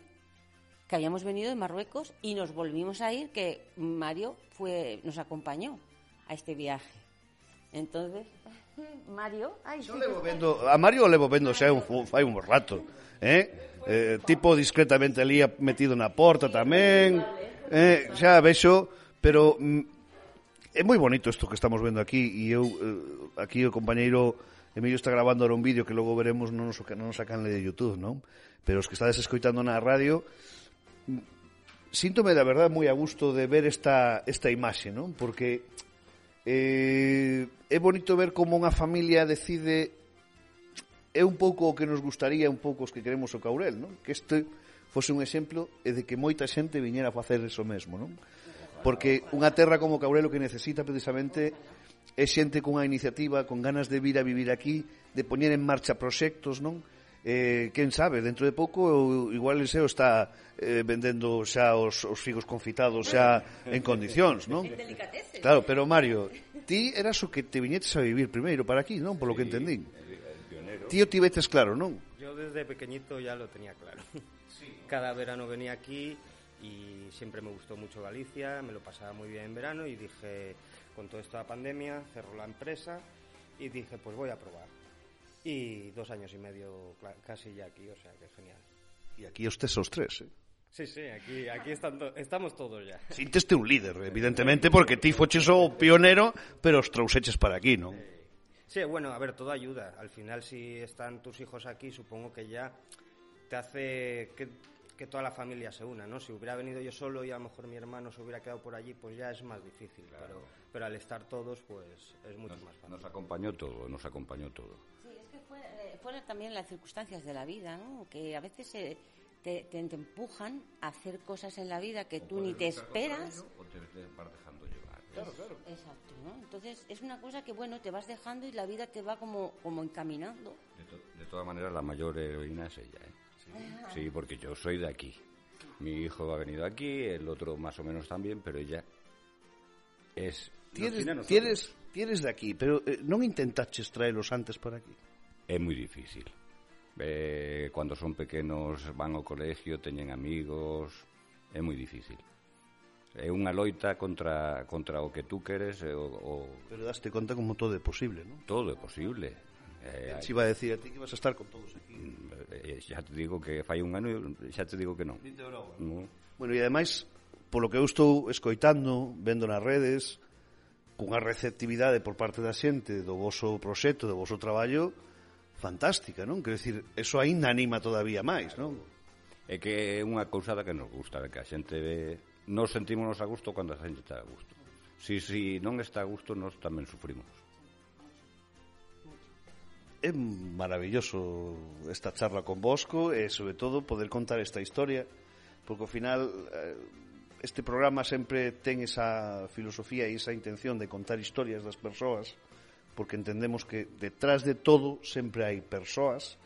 Speaker 7: que habíamos venido de Marruecos y nos volvimos a ir, que Mario nos acompañó a este viaje. Entonces, Mario... Ay, sí,
Speaker 3: a Mario o levo vendo xa fai un rato, tipo discretamente ali metido na porta tamén, xa vexo, pero é moi bonito isto que estamos vendo aquí, e eu aquí o compañeiro Emilio está grabando ahora un vídeo que logo veremos no noso canal de YouTube, non? Pero os que estades escoitando na radio, síntome da verdade moi a gusto de ver esta imaxe, non? Porque é bonito ver como unha familia decide, é un pouco o que nos gustaría, un pouco os que queremos o Caurel, non? Que este fose un exemplo e de que moita xente viñera a facer eso mesmo, non? Porque unha terra como Caurel o que necesita precisamente é xente cunha iniciativa, con ganas de vir a vivir aquí, de poñer en marcha proxectos, non? Quen sabe, dentro de pouco igual el SEO está vendendo xa os figos confitados xa en condicións, non? Claro, pero Mario, ti eras o que te viñetes a vivir primeiro para aquí, non? Por lo que entendín. Ti o tivetes claro, non?
Speaker 10: Yo desde pequeñito ya lo tenía claro. Cada verano venía aquí y siempre me gustó mucho Galicia, me lo pasaba muy bien en verano y dije, con toda esta pandemia, cerró la empresa y dije, pues voy a probar. Y 2 años y medio casi ya aquí, o sea que genial.
Speaker 3: E aquí os tres,
Speaker 10: Sí, aquí estamos todos ya.
Speaker 3: Sinteste un líder, evidentemente, porque ti foches o pionero, pero os trouxeches para aquí, non?
Speaker 10: Sí, bueno, a ver, todo ayuda. Al final, si están tus hijos aquí, supongo que ya te hace que toda la familia se una, ¿no? Si hubiera venido yo solo y a lo mejor mi hermano se hubiera quedado por allí, pues ya es más difícil, claro. Pero al estar todos, pues es mucho más fácil.
Speaker 9: Nos acompañó todo.
Speaker 7: Sí, es que fueron también las circunstancias de la vida, ¿no? Que a veces te empujan a hacer cosas en la vida que tú ni te esperas.
Speaker 9: O te vas dejando llevar.
Speaker 3: Claro.
Speaker 7: Exacto, ¿no? Entonces es una cosa que, bueno, te vas dejando y la vida te va como encaminando.
Speaker 9: De todas maneras, la mayor heroína es ella, ¿eh? Sí, porque yo soy de aquí. Mi hijo ha venido aquí, el otro más o menos también, pero ella es... Tienes
Speaker 3: de aquí, pero non intentaches traelos antes para aquí?
Speaker 9: É moi difícil. Cuando son pequenos van ao colegio, teñen amigos, é moi difícil. É unha loita contra o que tú queres
Speaker 3: Pero daste conta como todo é posible, non?
Speaker 9: Todo é posible.
Speaker 3: Se iba a decir a ti que vas a estar con todos aquí.
Speaker 9: Xa te digo que fai un ano e xa te digo que non.
Speaker 3: No. Bueno, e ademais, polo que eu estou escoitando, vendo nas redes, cunha receptividade por parte da xente do voso proxecto, do voso traballo, fantástica, non? Quero dicir, eso aínda anima todavía máis, non?
Speaker 9: É que é unha cousada que nos gusta, que a xente ve... Nos sentímonos a gusto cando a xente está a gusto. Si non está a gusto, nos tamén sufrimos.
Speaker 3: É maravilloso esta charla con Bosco e, sobre todo, poder contar esta historia, porque, ao final, este programa sempre ten esa filosofía e esa intención de contar historias das persoas, porque entendemos que detrás de todo sempre hai persoas,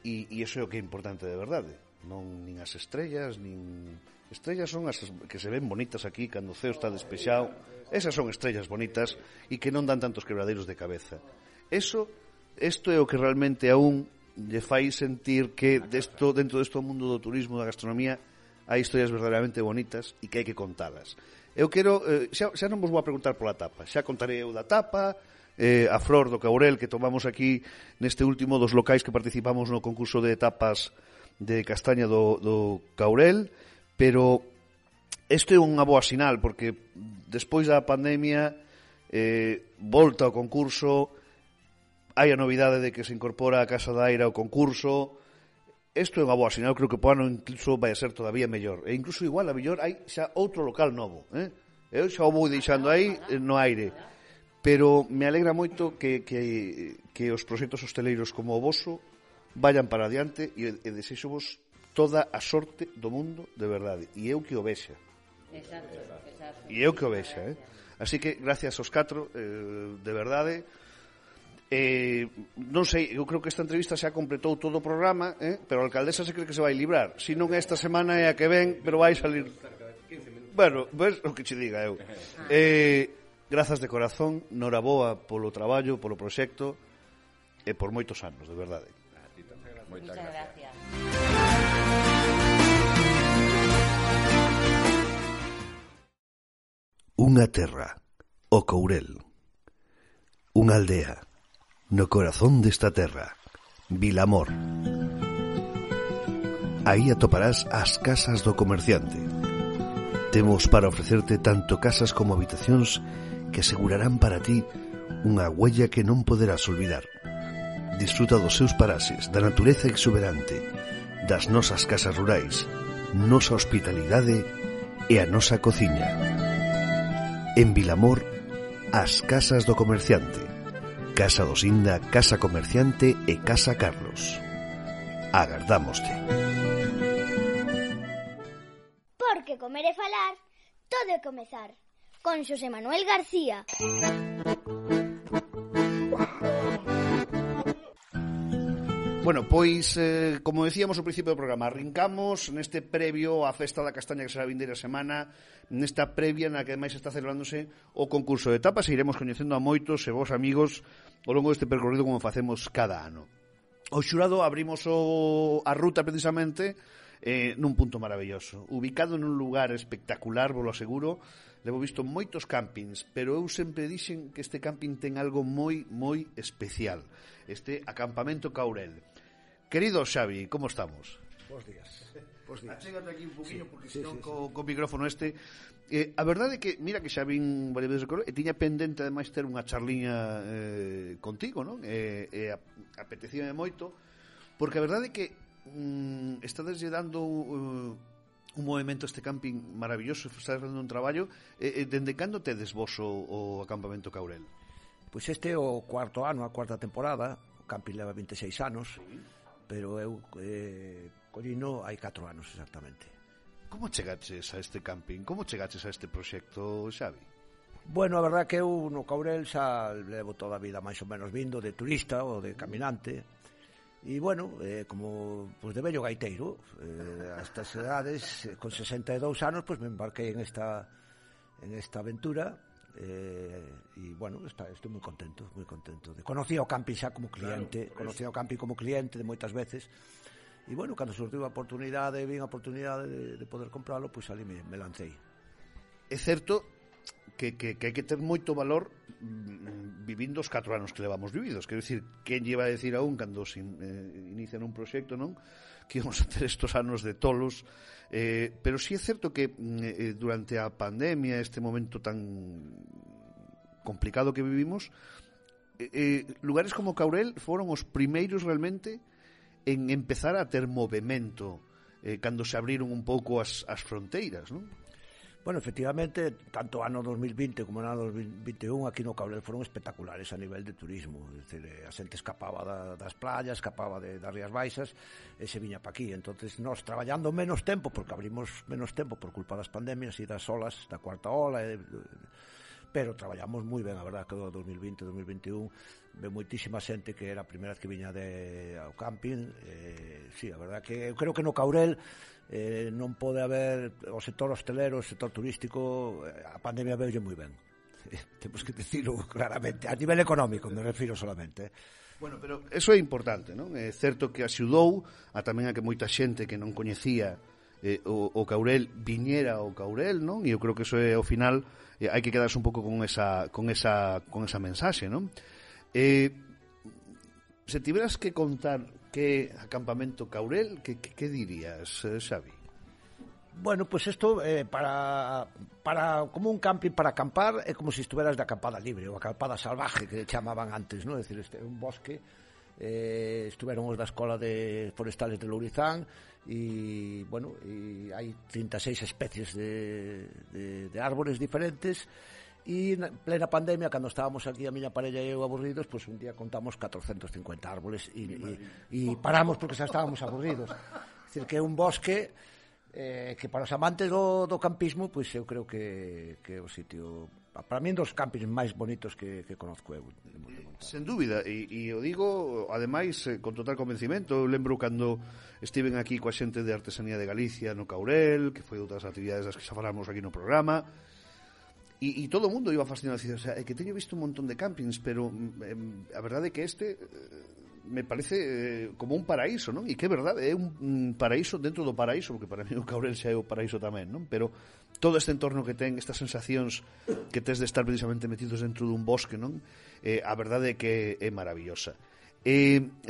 Speaker 3: e iso é o que é importante de verdade. Non nin as estrellas, nin... Estrellas son as que se ven bonitas aquí cando o ceo está despexado. Esas son estrellas bonitas e que non dan tantos quebradeiros de cabeza. Isto é o que realmente aún lle fai sentir que dentro deste mundo do turismo, da gastronomía, hai historias verdadeiramente bonitas e que hai que contalas. Eu quero, xa non vos vou a preguntar pola tapa, xa contarei eu da tapa, a flor do Caurel que tomamos aquí neste último dos locais que participamos no concurso de tapas de castaña do Caurel, pero isto é unha boa sinal, porque despois da pandemia volta ao concurso, hai a novidade de que se incorpora a Casa da Aira ao concurso. Isto é unha boa sinal, creo que po ano incluso vai a ser todavía mellor. E incluso igual a mellor hai xa outro local novo. Eu xa o vou deixando aí no aire. Pero me alegra moito que os proxectos hosteleiros como o voso vayan para adiante e desexo-vos toda a sorte do mundo de verdade. E eu que o vexa.
Speaker 7: Exacto.
Speaker 3: E eu que o vexa. Así que, gracias aos 4, de verdade. Non sei, eu creo que esta entrevista xa completou todo o programa, pero a alcaldesa se cree que se vai librar. Si non é esta semana é a que ven, pero vai salir. Bueno, ves o que che diga eu. Grazas de corazón, noraboa polo traballo, polo proxecto e por moitos anos, de verdade.
Speaker 7: Moitas gracias.
Speaker 3: Unha terra, o Courel. Unha aldea, no corazón desta terra, Vilamor. Aí atoparás as casas do comerciante. Temos para ofrecerte tanto casas como habitacións que asegurarán para ti unha huella que non poderás olvidar. Disfruta dos seus paraxes, da natureza exuberante, das nosas casas rurais, nosa hospitalidade e a nosa cociña. En Vilamor, as casas do comerciante. Casa do Sinda, Casa Comerciante e Casa Carlos. Agardámoste.
Speaker 2: Porque comer e falar, todo é comezar. Con Xosé Manuel García.
Speaker 3: Bueno, pois, como decíamos ao principio do programa, arrincamos neste previo á Festa da Castaña que será a vindeira semana, nesta previa na que ademais está celebrándose o concurso de tapas e iremos coñecendo a moitos e vos amigos ao longo deste percorrido como facemos cada ano. O xurado abrimos a ruta precisamente nun punto maravilloso, ubicado nun lugar espectacular, vos lo aseguro. Levo visto moitos campings, pero eu sempre dixen que este camping ten algo moi, moi especial. Este acampamento Caurel. Querido Xavi, como estamos?
Speaker 11: Bos días.
Speaker 3: Achégate aquí un poquinho, porque senón co micrófono este. A verdade é que, mira que xa vin varias veces de Caurel, e tiña pendente ademais ter unha charliña contigo, non? Apetecíame moito, porque a verdade é que estades lle dando un movimento a este camping maravilloso, estás facendo un traballo. Dende cando tedes vos o acampamento Caurel?
Speaker 11: Pois este é o cuarto ano, a cuarta temporada. O camping leva 26 anos, pero eu collino hai 4 anos exactamente.
Speaker 3: Como chegaches a este camping? Como chegaches a este proxecto, Xavi?
Speaker 11: Bueno, a verdad que eu no Caurel xa levo toda a vida máis ou menos vindo de turista ou de caminante. E, bueno, como pues, de vello gaiteiro, a estas edades, con 62 anos, pues me embarquei en esta aventura. E, bueno, estou moi contento. Conocí o camping xa como cliente, de moitas veces. E, bueno, cando surtiu a oportunidade, vin a oportunidade de poder compralo, pues ali me lancei.
Speaker 3: É certo que hai que ter moito valor vivindo os 4 anos que levamos vividos. Quero dicir, quen lleva a decir aún cando se inician un proxecto, non? Que íbamos a ter estos anos de tolos, pero sí é certo que durante a pandemia, este momento tan complicado que vivimos, lugares como Caurel foron os primeiros realmente en empezar a ter movimento cando se abriron un pouco as fronteiras, non?
Speaker 11: Bueno, efectivamente, tanto ano 2020 como ano 2021 aquí no Caurel foron espectaculares a nivel de turismo. É dicir, a xente escapaba das playas, escapaba das Rías Baixas e se viña pa aquí. Entonces, nós traballando menos tempo, porque abrimos menos tempo por culpa das pandemias e das olas, da cuarta ola, pero traballamos moi ben, a verdad, que o 2020-2021 ve moitísima xente que era a primeira vez que viña ao camping. Sí, a verdad que eu creo que no Caurel non pode haber o sector hostelero, o sector turístico, a pandemia veulle moi ben. Temos que dicilo claramente, a nivel económico me refiro solamente.
Speaker 3: Bueno, pero eso é importante, non? É certo que axudou a tamén a que moita xente que non coñecía o Caurel viñera ao Caurel, non? E eu creo que eso é, ao final, hai que quedarse un pouco con esa mensaxe, non? Se tiveras que contar que acampamento Caurel, que dirías, Xavi?
Speaker 11: Bueno, pues isto para como un camping para acampar é como se estuveras de acampada libre ou acampada salvaje que chamaban antes, non? É dicir, este é un bosque, estuveron os da Escola de Forestales de Lourizán e, bueno, e hai 36 especies de árbores diferentes. E na plena pandemia, cando estábamos aquí a miña parella e eu aburridos, pois un día contamos 450 árboles e paramos porque xa estábamos aburridos. É dicir, que é un bosque que para os amantes do campismo, pois eu creo que é o sitio, para mí, dos campings máis bonitos que conozco eu.
Speaker 3: Sen dúbida, e o digo, ademais, con total convencimento. Eu lembro cando estiven aquí coa xente de Artesanía de Galicia no Caurel, que foi outras actividades das que xa falamos aquí no programa, e todo o mundo iba fascinado, o sea, é que teño visto un montón de campings, pero a verdade é que este me parece como un paraíso, non? E que é verdade, é un paraíso dentro do paraíso, porque para mí o Caurel xa é o paraíso tamén, non? Pero todo este entorno que ten, estas sensacións que tes de estar precisamente metidos dentro dun bosque, non? A verdade é que é maravillosa.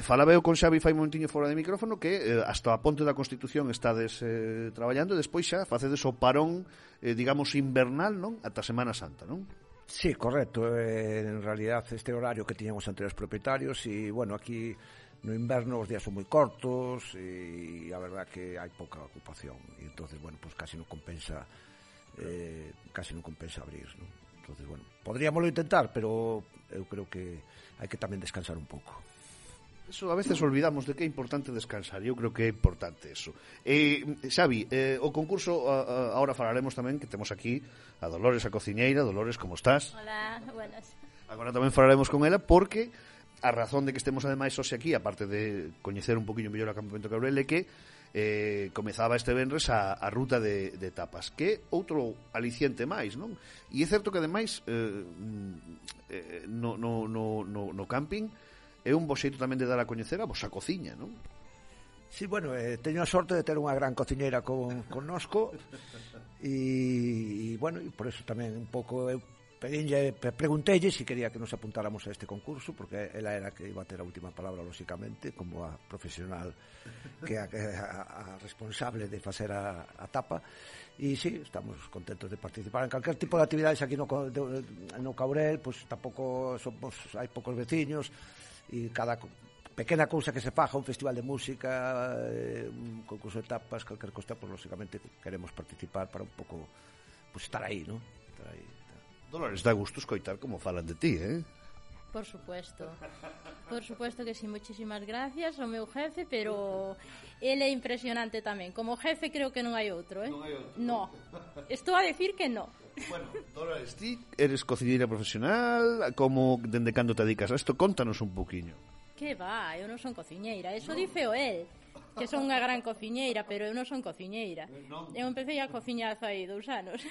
Speaker 3: Falaba eu con Xavi fai un momentiño fora de micrófono que hasta a ponte da Constitución estades traballando e despois xa facedes o parón, digamos, invernal, non? Ata Semana Santa, non?
Speaker 11: Sí, correcto. En realidad este horario que tiñamos anteriores propietarios e, bueno, aquí no inverno os días son moi cortos e a verdad que hai pouca ocupación e entonces, bueno, pues casi non compensa abrir, non? Entonces, bueno, podríamoslo intentar, pero eu creo que hai que tamén descansar un pouco.
Speaker 3: Eso a veces olvidamos de que é importante descansar, e eu creo que é importante eso. Xavi, o concurso, ahora falaremos tamén, que temos aquí a Dolores, a cociñeira. Dolores, como estás?
Speaker 12: Hola, buenas.
Speaker 3: Agora tamén falaremos con ela, porque a razón de que estemos ademais hoxe aquí, aparte de coñecer un poquinho mellor o acampamento Caurel, é que comezaba este venres a ruta de tapas, que outro aliciente máis, non? E é certo que ademais no camping é un bo xeito tamén de dar a coñecer a vosa cociña, non?
Speaker 11: Sí, bueno, teño a sorte de ter unha gran cociñeira connosco e bueno, e por eso tamén un pouco eu pregunteille se quería que nos apuntáramos a este concurso, porque ela era que iba a ter a última palabra, lóxicamente, como a profesional que a responsable de facer a tapa. E sí, estamos contentos de participar en calquer tipo de actividades aquí no Caurel, pois tampouco hai poucos veciños e cada pequena cousa que se faja, un festival de música, un concurso de tapas, calquer cosa, pois lóxicamente queremos participar para un pouco pues, estar aí, ¿no? Estar aí.
Speaker 3: Dolores, dá gusto escoitar como falan de ti,
Speaker 12: Por supuesto que sí, muchísimas gracias ao meu jefe, pero ele é impresionante tamén. Como jefe creo que non hai outro,
Speaker 3: Non hai outro?
Speaker 12: No, estou a decir que no.
Speaker 3: Bueno, Dolores, ti eres cociñeira profesional, como dende cando te dedicas a isto? Contanos un poquinho.
Speaker 12: Que va, eu non son cociñeira, eso diceo el, que son unha gran cociñeira, pero eu non son cociñeira. Eu empecé a cociñar hai 2 anos.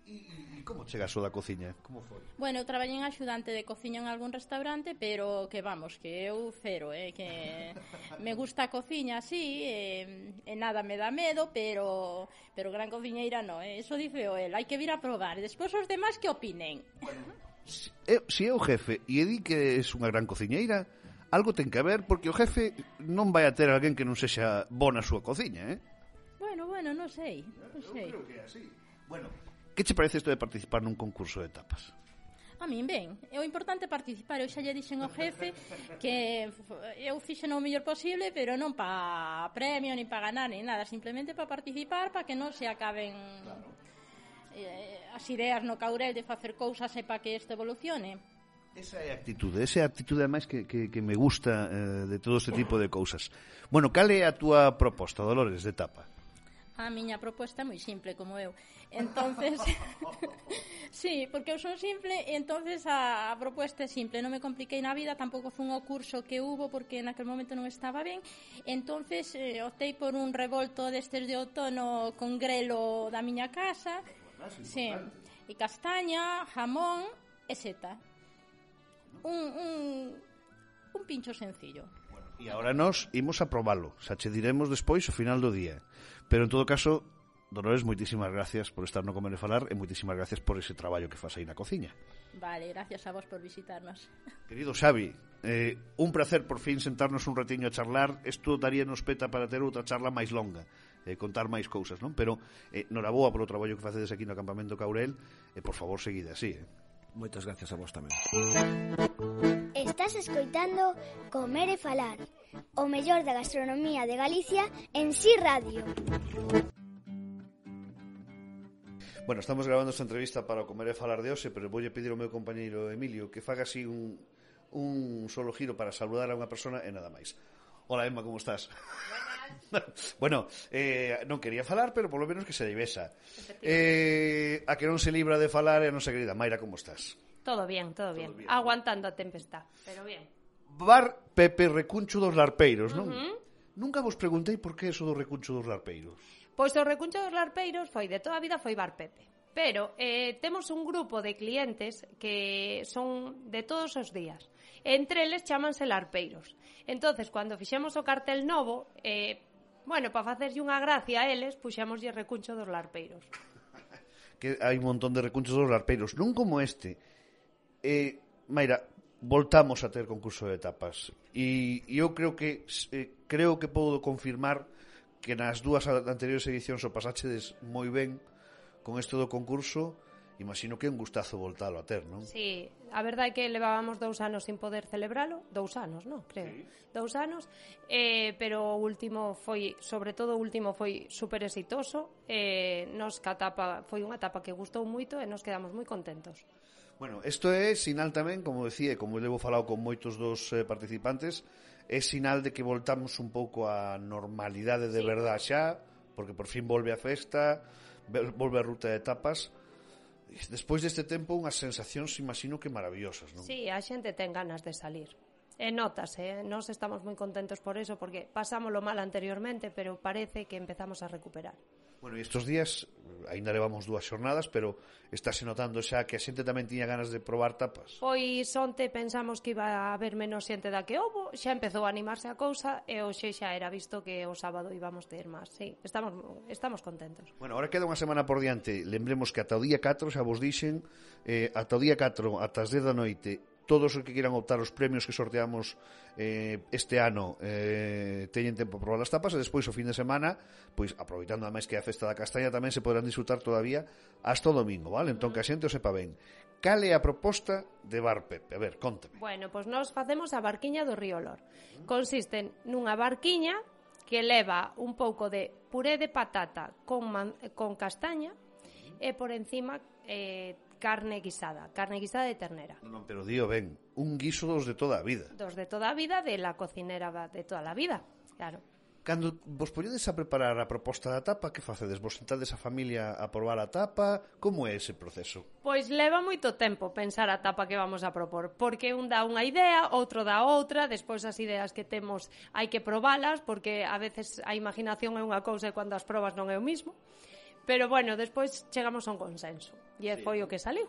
Speaker 3: E como chegas o da cociña? Como foi?
Speaker 12: Bueno, eu traballei en axudante de cociña en algún restaurante, pero que vamos, que eu cero, que me gusta a cociña así, e nada me dá medo, pero gran cociñeira non, eso diceo el, hai que vir a probar, despois os demás que opinen.
Speaker 3: Bueno, se é o jefe e di que é unha gran cociñeira, algo ten que ver, porque o jefe non vai a ter alguén que non sexa bona a súa cociña,
Speaker 12: Bueno, non sei.
Speaker 3: Eu creo que é así. Bueno, que che parece isto de participar nun concurso de tapas?
Speaker 12: A min ben, é o importante participar. Eu xa lle dixen ao jefe que eu fixen o mellor posible, pero non para premio, ni para ganar, ni nada, simplemente para participar, para que non se acaben as ideas no Caurel de facer cousas e para que isto evolucione.
Speaker 3: Esa é a actitude ademais que me gusta de todo este tipo de cousas. Bueno, cal é a túa proposta, Dolores, de tapa?
Speaker 12: A miña proposta é moi simple, como eu. Entonces, sí, porque eu son simple, e entonces a proposta é simple. Non me compliquei na vida, tampouco fun ao curso que hubo, porque naquel momento non estaba ben. Entonces, optei por un revolto destes de outono con grelo da miña casa. Sí, e castaña, jamón e seta. Un pincho sencillo.
Speaker 3: E agora nós imos a probalo. Xa che diremos despois ao final do día. Pero en todo caso, Dolores, moitísimas gracias por estar no Comer e Falar e moitísimas gracias por ese traballo que fas aí na cociña.
Speaker 12: Vale, gracias a vos por visitarnos.
Speaker 3: Querido Xavi, un placer por fin sentarnos un ratiño a charlar. Isto daríanos peta para ter outra charla máis longa, contar máis cousas, non? Pero noraboa polo traballo que facedes aquí no acampamento Caurel e por favor seguide así.
Speaker 11: Moitas gracias a vos tamén.
Speaker 2: Estás escoitando Comer e Falar, o mellor da gastronomía de Galicia en Si Radio.
Speaker 3: Bueno, estamos grabando esta entrevista para o Comer e Falar de hoxe, pero voulle pedir ao meu compañeiro Emilio que faga así un solo giro para saludar a unha persona e nada máis. Hola, Emma, como estás? Bueno, non quería falar, pero polo menos que se lle besa. A que non se libra de falar é a nosa querida Mayra, como estás?
Speaker 13: Todo bien. Aguantando a tempestad, pero bien.
Speaker 3: Bar Pepe Recuncho dos Larpeiros, non? Nunca vos preguntei por que eso do Recuncho dos Larpeiros.
Speaker 13: Pois o Recuncho dos Larpeiros foi de toda a vida foi Bar Pepe. Pero temos un grupo de clientes que son de todos os días. Entre eles chámanse Larpeiros. Entonces, cando fixemos o cartel novo, bueno, para facerlle unha gracia a eles, puxémoslle Recuncho dos Larpeiros.
Speaker 3: Que hai un montón de recunchos dos larpeiros, non como este. Mayra, voltamos a ter concurso de tapas. E eu creo que podo confirmar que nas dúas anteriores edicións o pasáchedes moi ben con isto do concurso. Imagino que é un gustazo voltalo a ter, non?
Speaker 13: Sí, a verdade é que levábamos 2 anos sin poder celebralo, 2 anos, non? Creo, sí. 2 anos, pero o último foi, sobre todo o último foi super exitoso, nos que a etapa foi unha etapa que gustou moito e nos quedamos moi contentos.
Speaker 3: Bueno, isto é sinal tamén, como decía, como levo falado con moitos dos participantes, é sinal de que voltamos un pouco á normalidade de verdade xa, porque por fin volve a festa, volve a ruta de tapas. Despois deste tempo, unhas sensacións, imagino que maravillosas, non?
Speaker 13: Sí, a xente ten ganas de salir. E notase, nós estamos moi contentos por eso, porque pasámoslo mal anteriormente, pero parece que empezamos a recuperar.
Speaker 3: Bueno, e estes días, ainda levamos 2 xornadas, pero estáse notando xa que a xente tamén tiña ganas de probar tapas.
Speaker 13: Pois onte pensamos que iba a haber menos xente da que houbo, xa empezou a animarse a cousa, e hoxe xa era visto que o sábado íbamos ter máis. Sí, estamos contentos.
Speaker 3: Bueno, ahora queda unha semana por diante. Lembremos que ata o día 4, xa vos dixen, ata o día 4, ata as 10 da noite, todos os que quieran optar os premios que sorteamos este ano teñen tempo para probar as tapas, e despois o fin de semana, pois aproveitando a máis que a festa da castaña, tamén se poderán disfrutar todavía hasta o domingo, vale? Entón que a xente o sepa ben. Cal é a proposta de Bar Pepe? A ver, contame.
Speaker 13: Bueno, pois nós facemos a barquiña do Río Olor. Consiste nunha barquiña que leva un pouco de puré de patata con castaña e por encima carne guisada de ternera.
Speaker 3: Non, pero dío ben, un guiso dos de toda a vida.
Speaker 13: Dos de toda a vida, de la cocinera de toda a vida, claro.
Speaker 3: Cando vos poñedes a preparar a proposta da tapa, que facedes? Vos sentades a familia a probar a tapa? Como é ese proceso?
Speaker 13: Pois leva moito tempo pensar a tapa que vamos a propor, porque un dá unha idea, outro dá outra, despois as ideas que temos hai que probalas, porque a veces a imaginación é unha cousa e cando as probas non é o mismo. Pero, bueno, despois chegamos a un consenso. E sí, foi o que saliu.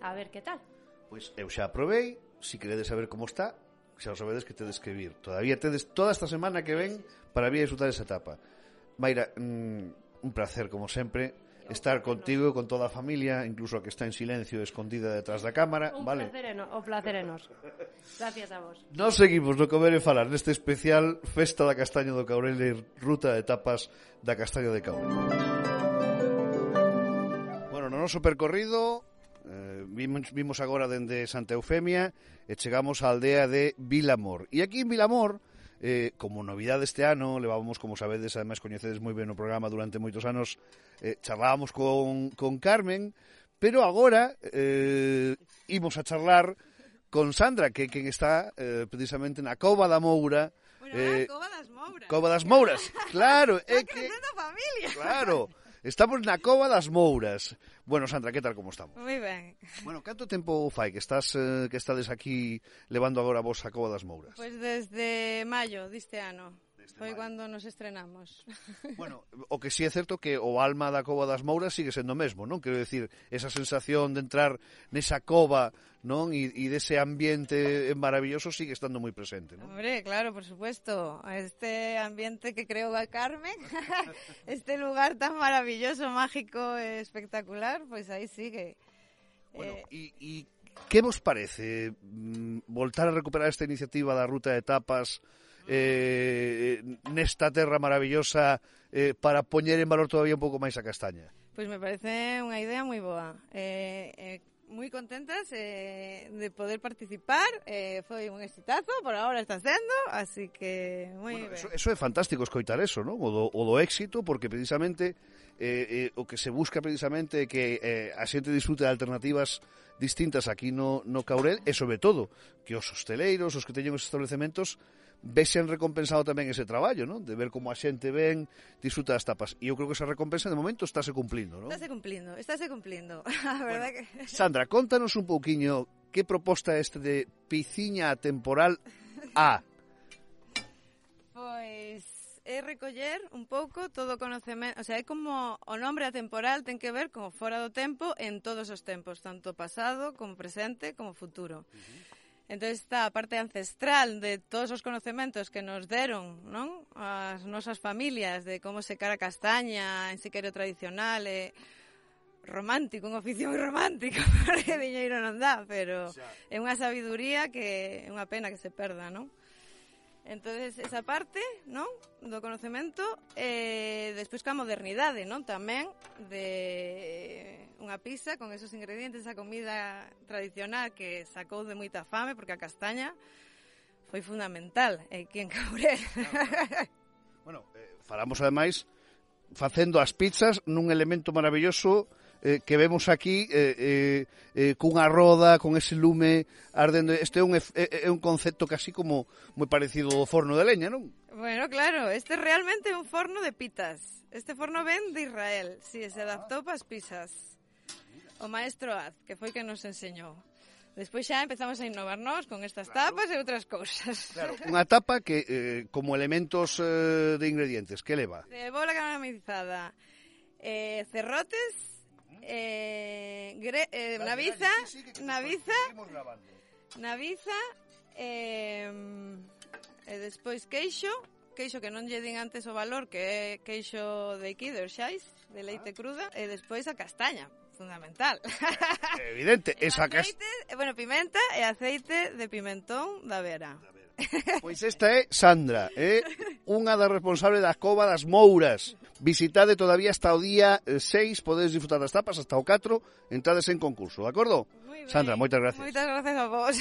Speaker 13: A ver que tal.
Speaker 3: Pois eu xa probei. Si queredes saber como está, xa o sabedes que tedes que vir. Todavía tedes toda esta semana que ven para vir a disfrutar esa etapa. Mayra, un placer, como sempre, estar contigo, con toda a familia, incluso a que está en silencio, escondida detrás da cámara.
Speaker 13: O placer é noso. Gracias a vos.
Speaker 3: Nos seguimos no Comer e Falar neste especial Festa da Castaña do Caurel e ruta de etapas da Castaña de Caurel. No noso percorrido vimos agora dende Santa Eufemia e chegamos á aldea de Vilamor. E aquí en Vilamor como novidade este ano, levábamos, como sabedes, ademais coñecedes moi ben o programa durante moitos anos, charlábamos con Carmen, pero agora imos a charlar con Sandra, que quen está precisamente na Cova da Moura.
Speaker 14: Cova das Mouras.
Speaker 3: Cova das Mouras, claro.
Speaker 14: Familia.
Speaker 3: Claro, estamos na Cova das Mouras. Bueno, Sandra, que tal, como estamos?
Speaker 14: Moi ben.
Speaker 3: Bueno, canto tempo fai que estades aquí levando agora vos a Cova das Mouras?
Speaker 14: Pois desde maio deste ano. Foi cando nos estrenamos.
Speaker 3: Bueno, o que sí é certo que o alma da Cova das Mouras sigue sendo o mesmo, non? Quero dicir, esa sensación de entrar nesa cova, non? E dese ambiente maravilloso sigue estando moi presente, non?
Speaker 14: Hombre, claro, por supuesto. Este ambiente que creou a Carmen, este lugar tan maravilloso, mágico, espectacular, pois aí sigue.
Speaker 3: Bueno, e que vos parece voltar a recuperar esta iniciativa da Ruta de Tapas nesta terra maravillosa para poñer en valor todavía un pouco máis a castaña?
Speaker 14: Pois me parece unha idea moi boa. Moi contentas de poder participar, foi un exitazo, por agora está sendo, así que moi ben.
Speaker 3: Eso é fantástico escoitar eso, non? O do éxito, porque precisamente o que se busca precisamente é que a xente disfrute de alternativas distintas aquí no Caurel e sobre todo que os hosteleiros, os que teñen os establecementos vexen recompensado tamén ese traballo, non? De ver como a xente ven, disfruta das tapas. E eu creo que esa recompensa de momento estáse cumplindo, non?
Speaker 14: Estáse cumplindo. A verdad que...
Speaker 3: Sandra, contanos un pouquiño que proposta este de Piciña Temporal A.
Speaker 14: Pois é recoller un pouco todo o conocemento, o sea, é como o nombre atemporal ten que ver como fora do tempo en todos os tempos, tanto pasado como presente como futuro. Entón está a parte ancestral de todos os conocementos que nos deron, non? As nosas familias, de como secar a castaña en siqueiro tradicional, romántico, un oficio moi romántico, porque diñeiro non dá, pero é unha sabiduría que é unha pena que se perda, non? Entonces, esa parte, non? Do conocemento, despois ca modernidade, non? Tamén de unha pizza con esos ingredientes, esa comida tradicional que sacou de moita fame, porque a castaña foi fundamental aquí en Caurel.
Speaker 3: Bueno, falamos ademais facendo as pizzas nun elemento maravilloso que vemos aquí cunha roda, con ese lume ardendo. Este é un concepto casi como moi parecido ao forno de leña, non?
Speaker 14: Bueno, claro, este realmente é un forno de pitas. Este forno ven de Israel, si, se adaptou para as pizzas. O maestro Az, que foi que nos enseñou. Despois xa empezamos a innovarnos con estas tapas e outras cousas.
Speaker 3: Claro, unha tapa que, como elementos de ingredientes, que leva?
Speaker 14: Cebola caramelizada, cerrotes, naviza, e despois queixo que non lle din antes o valor, que é queixo de aquí, de Orxais, de leite cruda, e despois a castaña, fundamental.
Speaker 3: Evidente, esa
Speaker 14: aceite, bueno, pimenta e aceite de pimentón da Vera.
Speaker 3: Pois esta é Sandra, unha das responsables da Cova das Mouras. Visitade todavía hasta o día 6, podedes disfrutar das tapas hasta o 4, entrades en concurso, de acordo? Sandra, moitas gracias.
Speaker 14: Moitas gracias a vos.